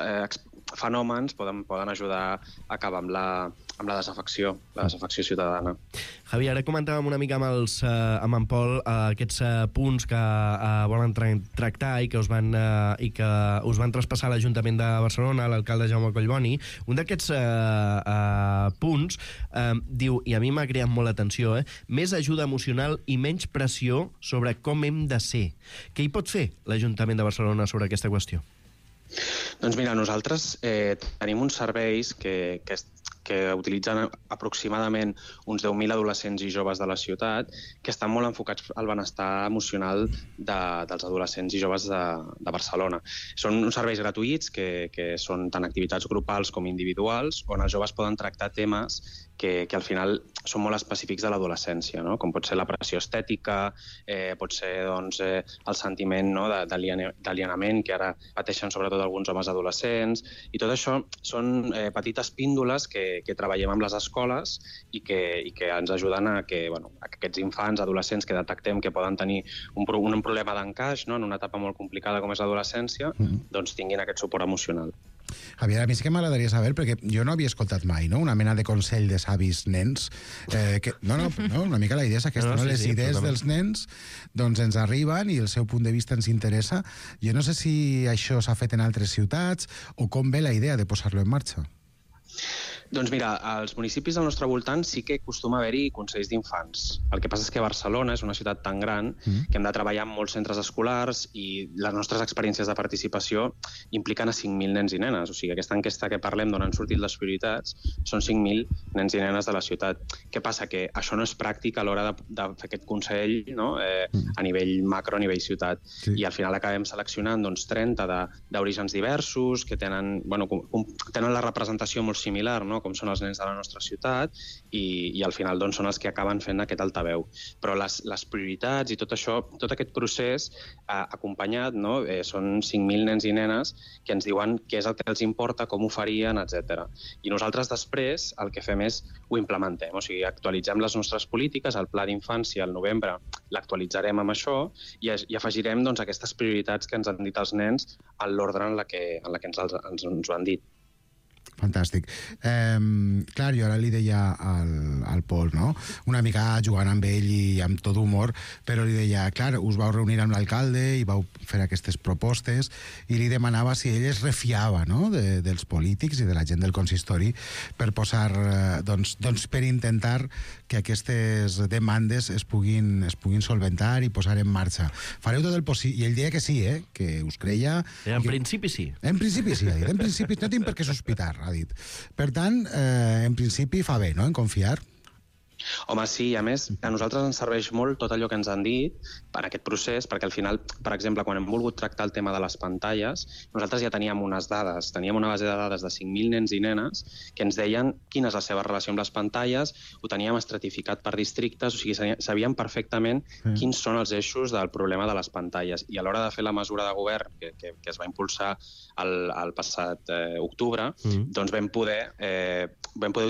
fenòmens poden ajudar a acabar amb la desafecció ciutadana. Javi, ara comentàvem una mica amb en Pol aquests punts que volen tractar i que us van traspassar a l'Ajuntament de Barcelona, l'alcalde Jaume Collboni. Un d'aquests punts diu, i a mi m'ha creat molt l'atenció, més ajuda emocional i menys pressió sobre com hem de ser. Què hi pot fer l'Ajuntament de Barcelona sobre aquesta qüestió? Doncs mira, nosaltres tenim uns serveis que utilitzen aproximadament uns 10.000 adolescents i joves de la ciutat que estan molt enfocats al benestar emocional dels adolescents i joves de Barcelona. Són uns serveis gratuïts que són tant activitats grupals com individuals, on els joves poden tractar temes que al final són molt específics de l'adolescència, no? Com pot ser la pressió estètica, pot ser el sentiment, no, d'alienament que ara pateixen sobretot alguns homes adolescents, i tot això són petites píndoles que treballem amb les escoles i que ens ajuden a que aquests infants, adolescents que detectem que poden tenir un problema d'encaix, no, en una etapa molt complicada com és l'adolescència, doncs tinguin aquest suport emocional. Javier, a mi sí que m'agradaria saber, perquè jo no havia escoltat mai, no?, una mena de consell de savis nens. Una mica la idea és aquesta, no? Les idees dels nens doncs ens arriben i el seu punt de vista ens interessa. Jo no sé si això s'ha fet en altres ciutats o com ve la idea de posar-lo en marxa. Doncs mira, als municipis del nostre voltant sí que acostuma a haver-hi consells d'infants. El que passa és que Barcelona és una ciutat tan gran que hem de treballar en molts centres escolars i les nostres experiències de participació impliquen a 5.000 nens i nenes. O sigui, aquesta enquesta que parlem d'on han sortit les prioritats són 5.000 nens i nenes de la ciutat. Què passa? Que això no és pràctic a l'hora de fer aquest consell, no? A nivell macro, a nivell ciutat. Sí. I al final acabem seleccionant 30 d'orígens diversos que tenen la representació molt similar, no? Com són els nens de la nostra ciutat i al final són els que acaben fent aquest altaveu. Però les prioritats i tot això, tot aquest procés acompanyat, no? Són 5.000 nens i nenes que ens diuen què és el que els importa, com ho farien, etc. I nosaltres després el que fem és ho implementem, o sigui, actualitzem les nostres polítiques, el pla d'infància al novembre l'actualitzarem amb això i afegirem aquestes prioritats que ens han dit els nens en l'ordre en la que ens ho han dit. Fantàstic. Clar, jo ara li deia al Pol, no? Una mica jugant amb ell i amb tot humor, però li deia, clar, us vau reunir amb l'alcalde i vau fer aquestes propostes i li demanava si ell es refiava, no?, dels polítics i de la gent del consistori per posar, per intentar que aquestes demandes es puguin solventar i posar en marxa. Fareu tot el possible. I ell deia que sí, que us creia. En principi sí. En principi sí, ha dit. En principi no tinc per què sospitar, ha dit. Per tant, en principi fa bé, no?, en confiar. Home, sí, a més, a nosaltres ens serveix molt tot allò que ens han dit per aquest procés, perquè al final, per exemple, quan hem volgut tractar el tema de les pantalles, nosaltres ja teníem unes dades, teníem una base de dades de 5.000 nens i nenes que ens deien quina és la seva relació amb les pantalles, ho teníem estratificat per districtes, o sigui, sabíem perfectament quins són els eixos del problema de les pantalles. I a l'hora de fer la mesura de govern que es va impulsar el passat octubre, doncs vam poder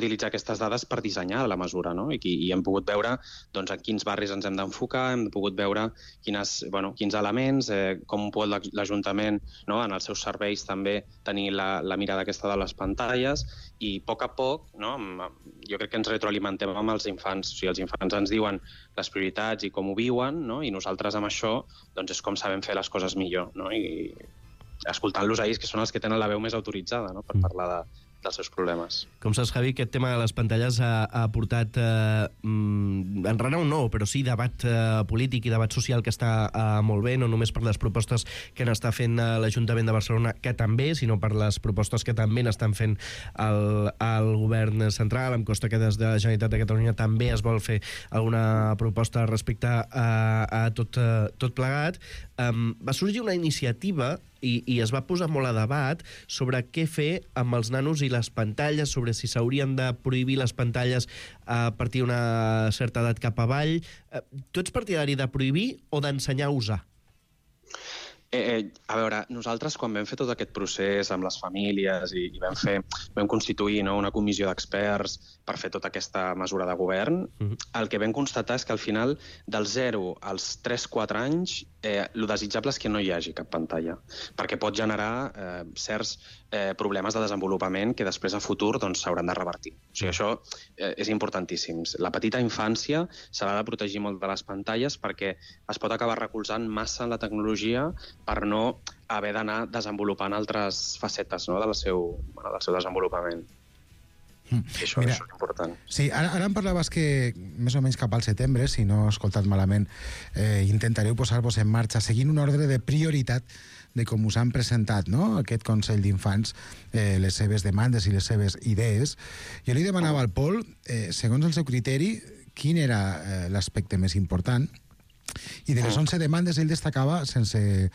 utilitzar aquestes dades per dissenyar la mesura, no? I hem pogut veure en quins barris ens hem d'enfocar, hem pogut veure quins elements, com pot l'Ajuntament, no, en els seus serveis també tenir la mirada aquesta de les pantalles, i a poc, no, jo crec que ens retroalimentem amb els infants. O sigui, els infants ens diuen les prioritats i com ho viuen, no? I nosaltres amb això és com sabem fer les coses millor, no? I escoltant-los a ells, que són els que tenen la veu més autoritzada, no?, per parlar dels seus problemes. Com saps, Javi, aquest tema de les pantalles ha portat enrenou no, però sí debat polític i debat social que està molt bé, no només per les propostes que n'està fent l'Ajuntament de Barcelona, que també, sinó per les propostes que també n'estan fent el govern central. Em consta que des de la Generalitat de Catalunya també es vol fer alguna proposta respecte a tot plegat. Va sorgir una iniciativa i es va posar molt a debat sobre què fer amb els nanos i les pantalles, sobre si s'haurien de prohibir les pantalles a partir d'una certa edat cap avall. Tu ets partidari de prohibir o d'ensenyar a usar? A veure, nosaltres quan vam fer tot aquest procés amb les famílies i vam constituir una comissió d'experts per fer tota aquesta mesura de govern, el que vam constatar és que al final dels 0 als 3-4 anys el desitjable és que no hi hagi cap pantalla, perquè pot generar certs problemes de desenvolupament que després a futur s'hauran de revertir. O sigui, això és importantíssim. La petita infància s'ha de protegir molt de les pantalles perquè es pot acabar recolzant massa en la tecnologia per no haver d'anar desenvolupant altres facetes del seu desenvolupament. Això és important. Sí, ara em parlaves que més o menys cap al setembre, si no he escoltat malament, intentareu posar-vos en marxa seguint un ordre de prioritat de com us han presentat, no?, aquest Consell d'Infants, les seves demandes i les seves idees. Jo li demanava al Pol, segons el seu criteri, quin era l'aspecte més important. I de les 11 demandes ell destacava, sense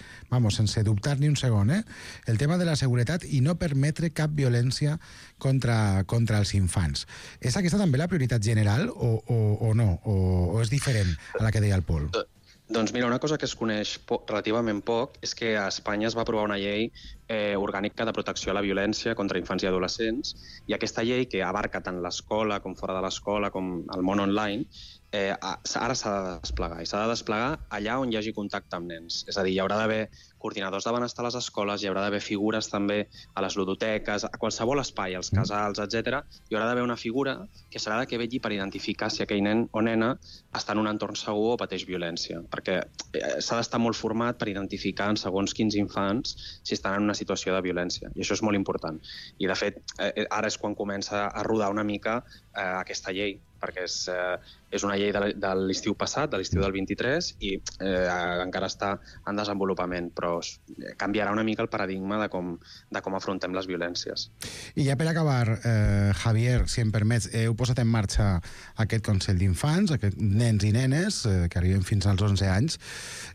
dubtar ni un segon, el tema de la seguretat i no permetre cap violència contra els infants. És aquesta també la prioritat general o no? O és diferent a la que deia el Pol? Doncs mira, una cosa que es coneix relativament poc és que a Espanya es va aprovar una llei orgànica de protecció a la violència contra infants i adolescents, i aquesta llei, que abarca tant l'escola com fora de l'escola com el món online, ara s'ha de desplegar, i s'ha de desplegar allà on hi hagi contacte amb nens. És a dir, hi haurà d'haver coordinadors de benestar a les escoles, hi haurà d'haver figures també a les ludoteques, a qualsevol espai, als casals, etc. Hi haurà d'haver una figura que serà la que vetlli per identificar si aquell nen o nena està en un entorn segur o pateix violència, perquè s'ha d'estar molt format per identificar en segons quins infants si estan en una situació de violència, i això és molt important. I, de fet, ara és quan comença a rodar una mica aquesta llei, perquè és una llei de l'estiu passat, de l'estiu del 23, i encara està en desenvolupament, però canviarà una mica el paradigma de com afrontem les violències. I ja per acabar, Javier, si em permets, heu posat en marxa aquest Consell d'Infants, aquests nens i nenes que arriben fins als 11 anys.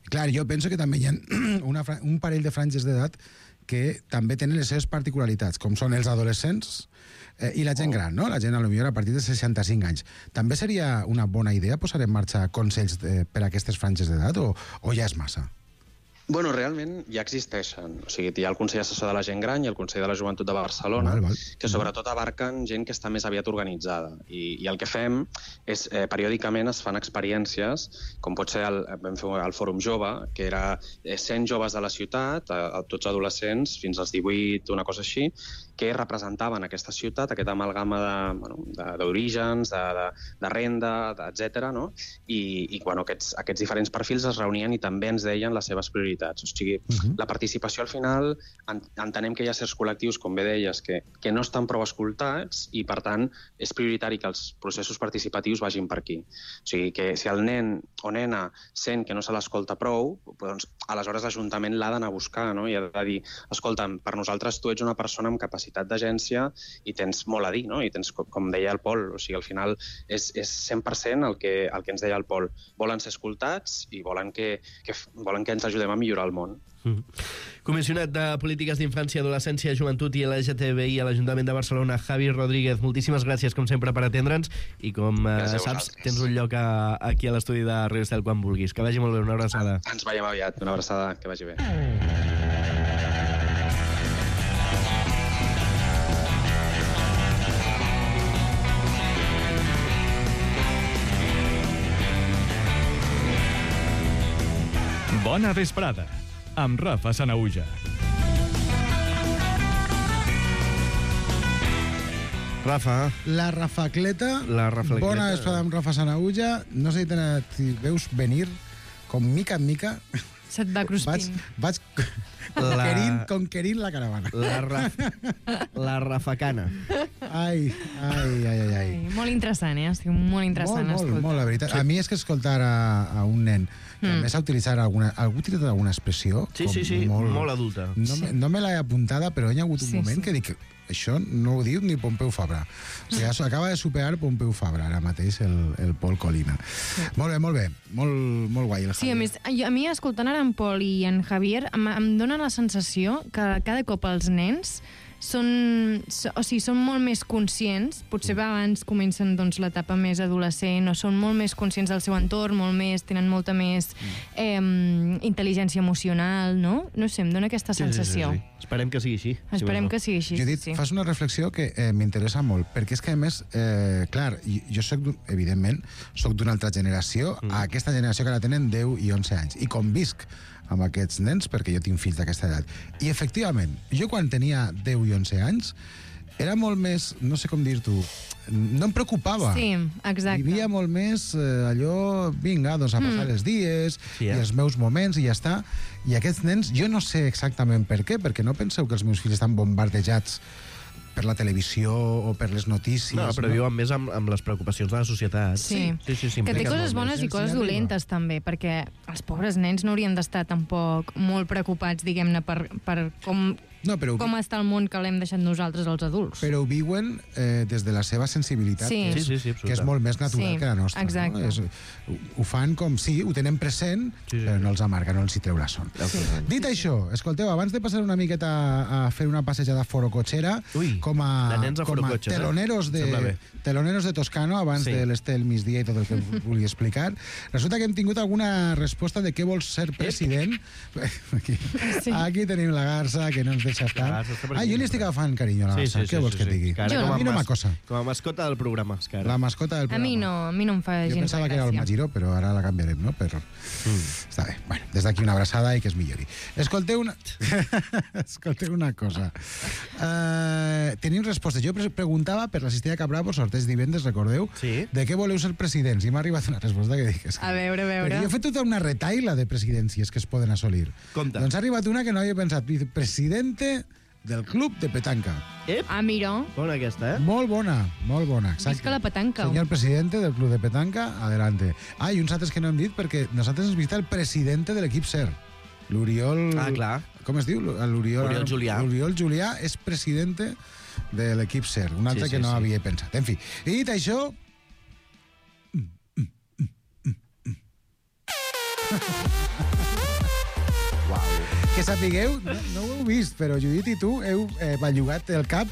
Clar, jo penso que també hi ha un parell de franges d'edat que també tenen les seves particularitats, com són els adolescents i la gent gran, no? La gent, potser a partir de 65 anys. També seria una bona idea posar en marxa consells per a aquestes franges d'edat o ja és massa? Bueno, realment ja existeixen. O sigui, hi ha el Consell Assessor de la Gent Gran i el Consell de la Joventut de Barcelona, que sobretot abarquen gent que està més aviat organitzada. I el que fem és, periòdicament es fan experiències, com pot ser vam fer el Fòrum Jove, que era 100 joves de la ciutat, tots adolescents, fins als 18, una cosa així, que representaven aquesta ciutat, aquesta amalgama d'orígens, de renda, etc. I aquests diferents perfils es reunien i també ens deien les seves prioritats. O sigui, la participació al final, entenem que hi ha certs col·lectius, com bé deies, que no estan prou escoltats i, per tant, és prioritari que els processos participatius vagin per aquí. O sigui, que si el nen o nena sent que no se l'escolta prou, doncs aleshores l'Ajuntament l'ha d'anar a buscar, no? I ha de dir, escolta'm, per nosaltres tu ets una persona amb capacitat d'agència i tens molt a dir, no? I tens, com deia el Pol, o sigui, al final és 100% el que ens deia el Pol. Volen ser escoltats i volen que ens ajudem a millorar el món. Comissionat de Polítiques d'Infància, Adolescència, Joventut i LGTBI a l'Ajuntament de Barcelona, Javi Rodríguez, moltíssimes gràcies, com sempre, per atendre'ns i, com saps, tens un lloc aquí a l'estudi de Radio Estel quan vulguis. Que vagi molt bé, una abraçada. Ens veiem aviat, una abraçada, que vagi bé. Bona vesprada, amb Rafa Sanahuja. Rafa. La Rafacleta. Bona vesprada amb Rafa Sanahuja. No sé si veus venir com mica en mica. Se't va cruspint. Vaig conquerint la caravana. La rafacana. Ai. Molt interessant, Estic molt interessant. Molt, la veritat. A mi és que escoltar a un nen que a més ha utilitzat algú ha utilitzat alguna expressió... Sí, molt adulta. No me l'he apuntada, però hi ha hagut un moment que dic, això no ho diu ni Pompeu Fabra. O sigui, acaba de superar Pompeu Fabra, ara mateix, el Pol Colina. Molt bé. Molt guai. Sí, a mi, escoltant ara en Pol i en Javier, em dóna la sensació que cada cop els nens són molt més conscients, potser abans comencen doncs, l'etapa més adolescent, o són molt més conscients del seu entorn, tenen molta més intel·ligència emocional, no? No sé, em dona aquesta sensació. Sí. Esperem que sigui així. Esperem que sigui així. Judit, fas una reflexió que m'interessa molt, perquè és que, a més, clar, jo soc, evidentment, soc d'una altra generació, a aquesta generació que ara tenen 10 i 11 anys, i convisc amb aquests nens, perquè jo tinc fills d'aquesta edat. I, efectivament, jo quan tenia 10 i 11 anys, era molt més, no sé com dir-t'ho, no em preocupava. Sí, exacte. Vivia molt més allò, vinga, doncs a passar els dies i els meus moments i ja està. I aquests nens, jo no sé exactament per què, perquè no penseu que els meus fills estan bombardejats per la televisió o per les notícies. No, però viuen més amb les preocupacions de la societat. Sí. Que té coses bones i coses dolentes, també, perquè els pobres nens no haurien d'estar tampoc molt preocupats, diguem-ne, per com està el món que l'hem deixat nosaltres, els adults. Però ho viuen des de la seva sensibilitat, que és molt més natural que la nostra. Exacte. No? Ho fan com, ho tenen present, però no els amarga, no els hi treu la son. Dit això, escolteu, abans de passar una miqueta a fer una passejada forocotxera, com a teloneros de Toscano, abans de l'Estel migdia i tot el que vulgui explicar, resulta que hem tingut alguna resposta de què vols ser president. Aquí tenim la Garça, que no ens deixa estar. Jo li estic agafant carinyo a la Garça. Què vols que et digui? A mi no m'acosa. Com a mascota del programa. La mascota del programa. A mi no em fa gens de gràcia. Jo pensava que era el Magiró, però ara la canviarem, no? Està bé. Bueno, des d'aquí una abraçada i que es millori. Escolteu una cosa. Tenim respostes. Jo preguntava per la Cistella Cabravo, sorteig divendres, recordeu? De què voleu ser presidents? I m'ha arribat una resposta que dic... A veure. Jo he fet tota una retaila de presidències que es poden assolir. Doncs ha arribat una que no havia pensat. Presidente del club de petanca. Mira. Bona aquesta, Molt bona. Exacte. Visca la petanca. Senyor presidente del club de petanca, adelante. I uns altres que no hem dit, perquè nosaltres ens visita el presidente de l'equip SER. L'Oriol... clar. Com es diu? Oriol Julià. L'Oriol Julià és presidente de l'equip SER. Un altre que no havia pensat. En fi, i dit això... Que sapigueu, no ho heu vist, però Judit i tu heu bellugat el cap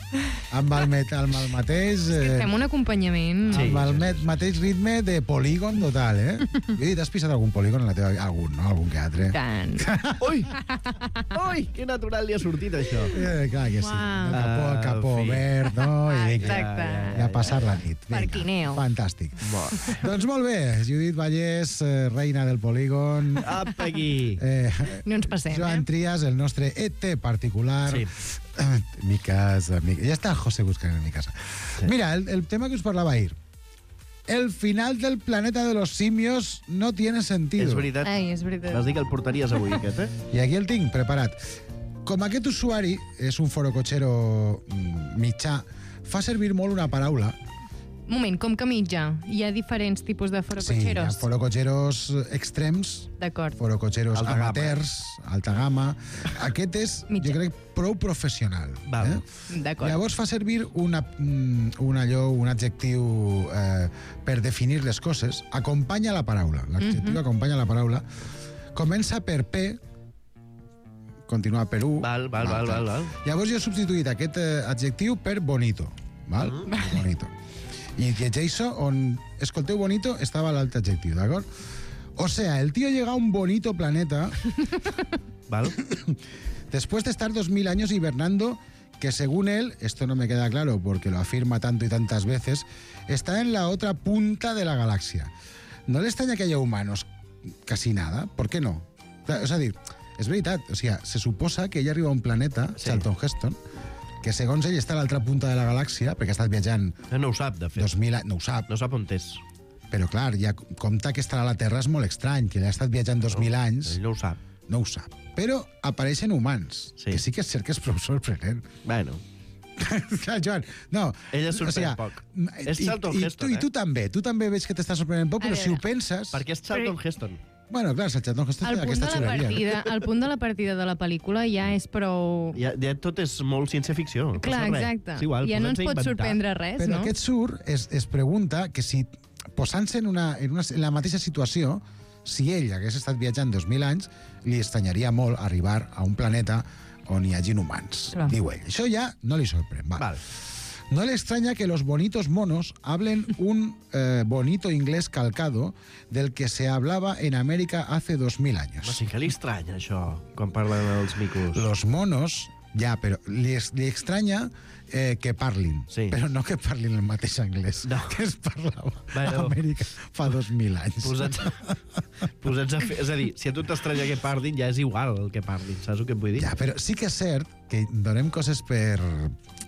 amb el mateix... Fem un acompanyament. Amb el mateix ritme de polígon total, Judit, has pisat algun polígon en la teva... Algun que altre. Tant. Ui, que natural li ha sortit, això. Clar que sí. El capó verd, no? Exacte. I a passar la nit. Parquineo. Fantàstic. Doncs molt bé, Judit Vallès, reina del polígon. Apa aquí. No ens passem, Joan Trias, el nostre ET particular. Mi casa. Ja està José buscant en mi casa. Mira, el tema que us parlava ahir. El final del planeta de los simios no tiene sentido. És veritat. És veritat. Vas dir que el portaries avui, aquest, I aquí el tinc preparat. Com aquest usuari és un forocotxero mitjà, fa servir molt una paraula. Un moment, com que mitja? Hi ha diferents tipus de forocotxeros? Sí, hi ha forocotxeros extrems, d'acord, forocotxeros amateurs, alta gamma. Aquest és, jo crec, prou professional. D'acord. Llavors fa servir un adjectiu per definir les coses. Acompanya la paraula. L'adjectiu acompanya la paraula. Comença per P, continua per U. Val. Llavors jo he substituït aquest adjectiu per bonito. Bonito. I llegeixo on, escolteu, bonito, estava l'altre adjectiu, d'acord? O sea, el tío llega a un bonito planeta después de estar 2000 años hibernando, que según él, esto no me queda claro porque lo afirma tanto y tantas veces, está en la otra punta de la galaxia. ¿No le extraña que haya humanos? Casi nada. ¿Por qué no? O sea, és veritat, o sigui, se suposa que ell arriba a un planeta, Charlton Heston, que segons ell està a l'altra punta de la galàxia, perquè ha estat viatjant... No ho sap, de fet. 2000 anys, no ho sap. No sap on és. Però clar, ja compta que estarà a la Terra és molt estrany, que ell ha estat viatjant 2000 anys... Ell no ho sap. No ho sap. Però apareixen humans, que sí que és cert que és prou sorprenent. Bueno. Clar, Joan, no... Ella sorprèn poc. És Charlton Heston, I tu també veig que t'està sorprenent poc, però si ho penses... Perquè és Charlton Heston. Bueno, clar, Charlton Heston té aquesta xuleria. El punt de la partida de la pel·lícula ja és prou... Ja tot és molt ciència-ficció. Clar, exacte. Ja no ens pot sorprendre res, no? Però aquest aquest surt es pregunta que si, posant-se en la mateixa situació, si ell hagués estat viatjant 2000 anys, li estranyaria molt arribar a un planeta on hi hagin humans. Clar. Diu ell. Això ja no li sorprèn. Vale. No le extraña que los bonitos monos hablen un bonito inglés calcado del que se hablaba en América hace 2000 años. No, sí que li estranya, això, quan parlen els micos. Los monos, ja, però li extraña que parlin, Sí. però no que parlin el mateix anglès que es parlava a Amèrica fa 2000 anys. Posats a fer... És a dir, si a tu t'estranya que parlin, ja és igual el que parlin, saps el que et vull dir? Ja, però sí que és cert que donem coses per...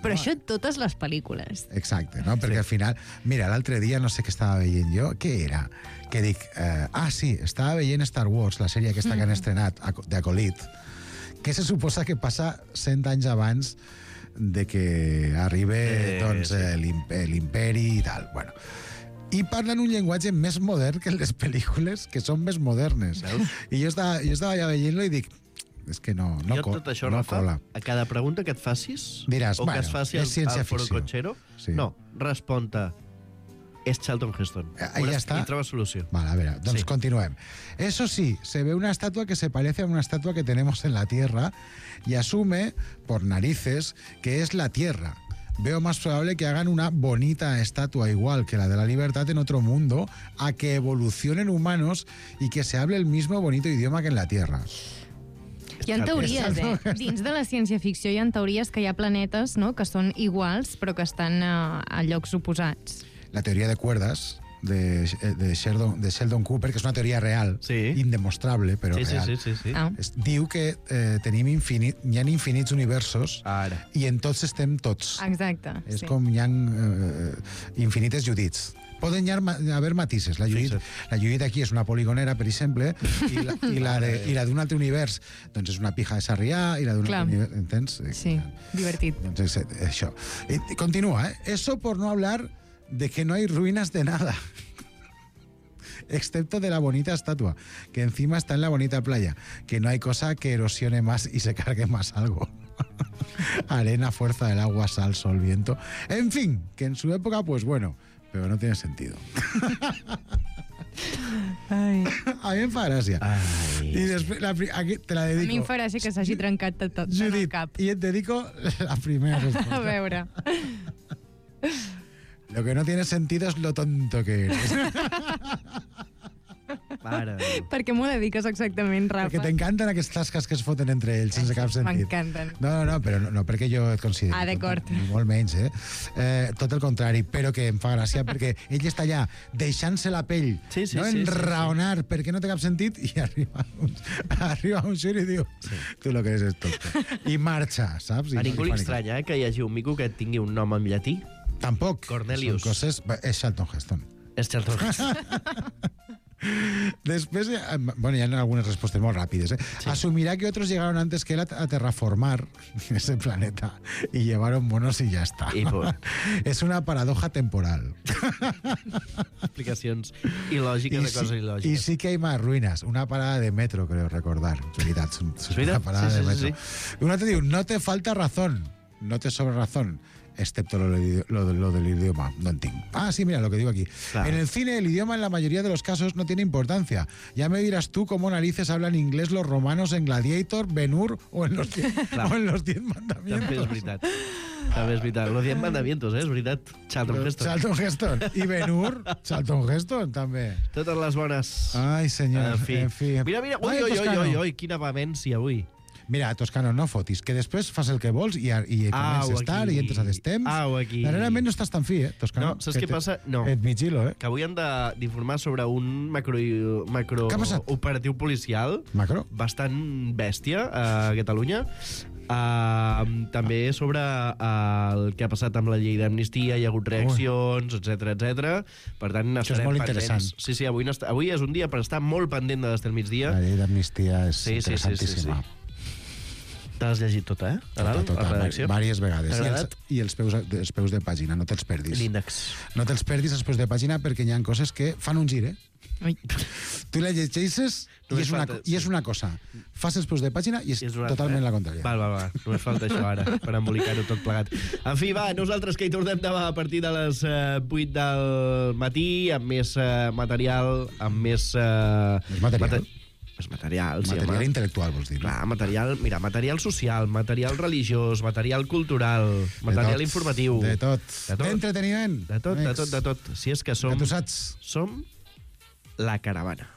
Però això totes les pel·lícules. Exacte, no? Perquè al final... Mira, l'altre dia no sé què estava veient jo. Què era? Que dic... sí, estava veient Star Wars, la sèrie aquesta que han estrenat, d'Acolyt, que se suposa que passa 100 anys abans de que arribi l'imperi i tal. Bueno, i parlen un llenguatge més modern que les pel·lícules, que són més modernes. I jo estava ja veient-lo i dic, és que no jo tot això, no Rafa, cola. a cada pregunta que et facis, diràs, o que es faci és ciència el ficció. Forocochero, Sí. no, respon-te. És Charlton Heston. Ahí ya está. Y trobes solució. Vale, a ver, entonces Sí. continuemos. Eso sí, se ve una estatua que se parece a una estatua que tenemos en la Tierra y asume, por narices, que es la Tierra. Veo más probable que hagan una bonita estatua igual que la de la libertad en otro mundo, a que evolucionen humanos y que se hable el mismo bonito idioma que en la Tierra. Hi ha teories, Dins de la ciència-ficció hi ha teories que hi ha planetes, no?, que són iguals, però que estan a llocs oposats. La teoría de cuerdas de Sheldon Cooper, que és una teoria real, indemostrable, però real. Sí. Diu que hi ha infinits universos i en tots estem tots. Exacte. És com hi ha infinites Judits. Poden haver matices. La Judit aquí és una poligonera, per exemple, i la d'un altre univers doncs és una pija de Sarrià, i la d'un altre univers... Entens? Sí, divertit. Doncs això. Continúa, Eso por no hablar de que no hay ruinas de nada. Excepto de la bonita estatua, que encima está en la bonita playa, que no hay cosa que erosione más y se cargue más algo. Arena, fuerza del agua, sal, sol, viento. En fin, que en su época, pues bueno, pero no tiene sentido. Ai. A mi em fa gràcia. I després, aquí te la dedico. A mi em fa gràcia que s'hagi trencat tot el cap. I et dedico la primera resposta. A veure. Lo que no tiene sentido es lo tonto que eres. Mare. Per què m'ho dediques exactament, Rafa? Perquè t'encanten aquestes tasques que es foten entre ells sense cap sentit. M'encanten. No, però no perquè jo et consideri. D'acord. Ni molt menys, tot el contrari, però que em fa gràcia perquè ell està allà deixant-se la pell, enraonar perquè no té cap sentit i arriba un xur i diu tu lo que eres tonto. I marxa, saps? A ningú li estranya que hi hagi un mico que tingui un nom en llatí? Tampoc. Cornelius. Són coses... És Charlton Heston. És Charlton Heston. Después, bueno, ya hay algunas respuestas muy rápidas. Sí. Asumirá que otros llegaron antes que él a terraformar ese planeta y llevaron monos y ya está. Es una paradoja temporal. Explicacions il·lògiques de coses il·lògiques. Y sí que hay más ruinas. Una parada de metro, creo recordar. Una parada de metro. Uno te digo, no te falta razón, no te sobra razón. Excepto lo del idioma, no entiendo. Sí, mira lo que digo aquí. Claro. En el cine, el idioma en la mayoría de los casos no tiene importancia. Ya me dirás tú cómo narices hablan inglés los romanos en Gladiator, Ben-Hur o en los 10 Mandamientos. També és veritat. També és veritat. Los 10 Mandamientos, és veritat. Charlton Heston. Charlton Heston. I Ben-Hur, Charlton Heston, també. Totes les bones. Ai, senyor. En fi. Mira. Ui, quina vehemència avui. Mira, Toscano, no fotis, que després fas el que vols i comences tard i entres a destemps. Darrerament no estàs tan fi, Toscano? No, saps què passa? No. Et migilo, Que avui han d'informar sobre un macro operatiu policial bastant bèstia a Catalunya. També sobre el que ha passat amb la llei d'amnistia, hi ha hagut reaccions, etc. Per tant, estarem pendents. Sí, avui és un dia per estar molt pendent de l'Estel Migdia. La llei d'amnistia és interessantíssima. T'has llegit tota, a dalt, a redacció? Vàries vegades. I els peus de pàgina, no te'ls perdis. L'índex. No te'ls perdis els peus de pàgina perquè hi ha coses que fan un gir, Tu la llegeixes i és una cosa. Fas els peus de pàgina i és totalment la contrària. Va. Només falta això ara, per embolicar-ho tot plegat. En fi, va, nosaltres que hi tornem demà a partir de les 8 del matí, amb més material, amb més... Material? Pues material, sí, Material home. intel·lectual, vols dir? No? Clar, material social, material religiós, material cultural, material informatiu. De tot. De tot. Entreteniment. De tot, de tot, de tot. Si és que som... Que tu saps. Som la caravana.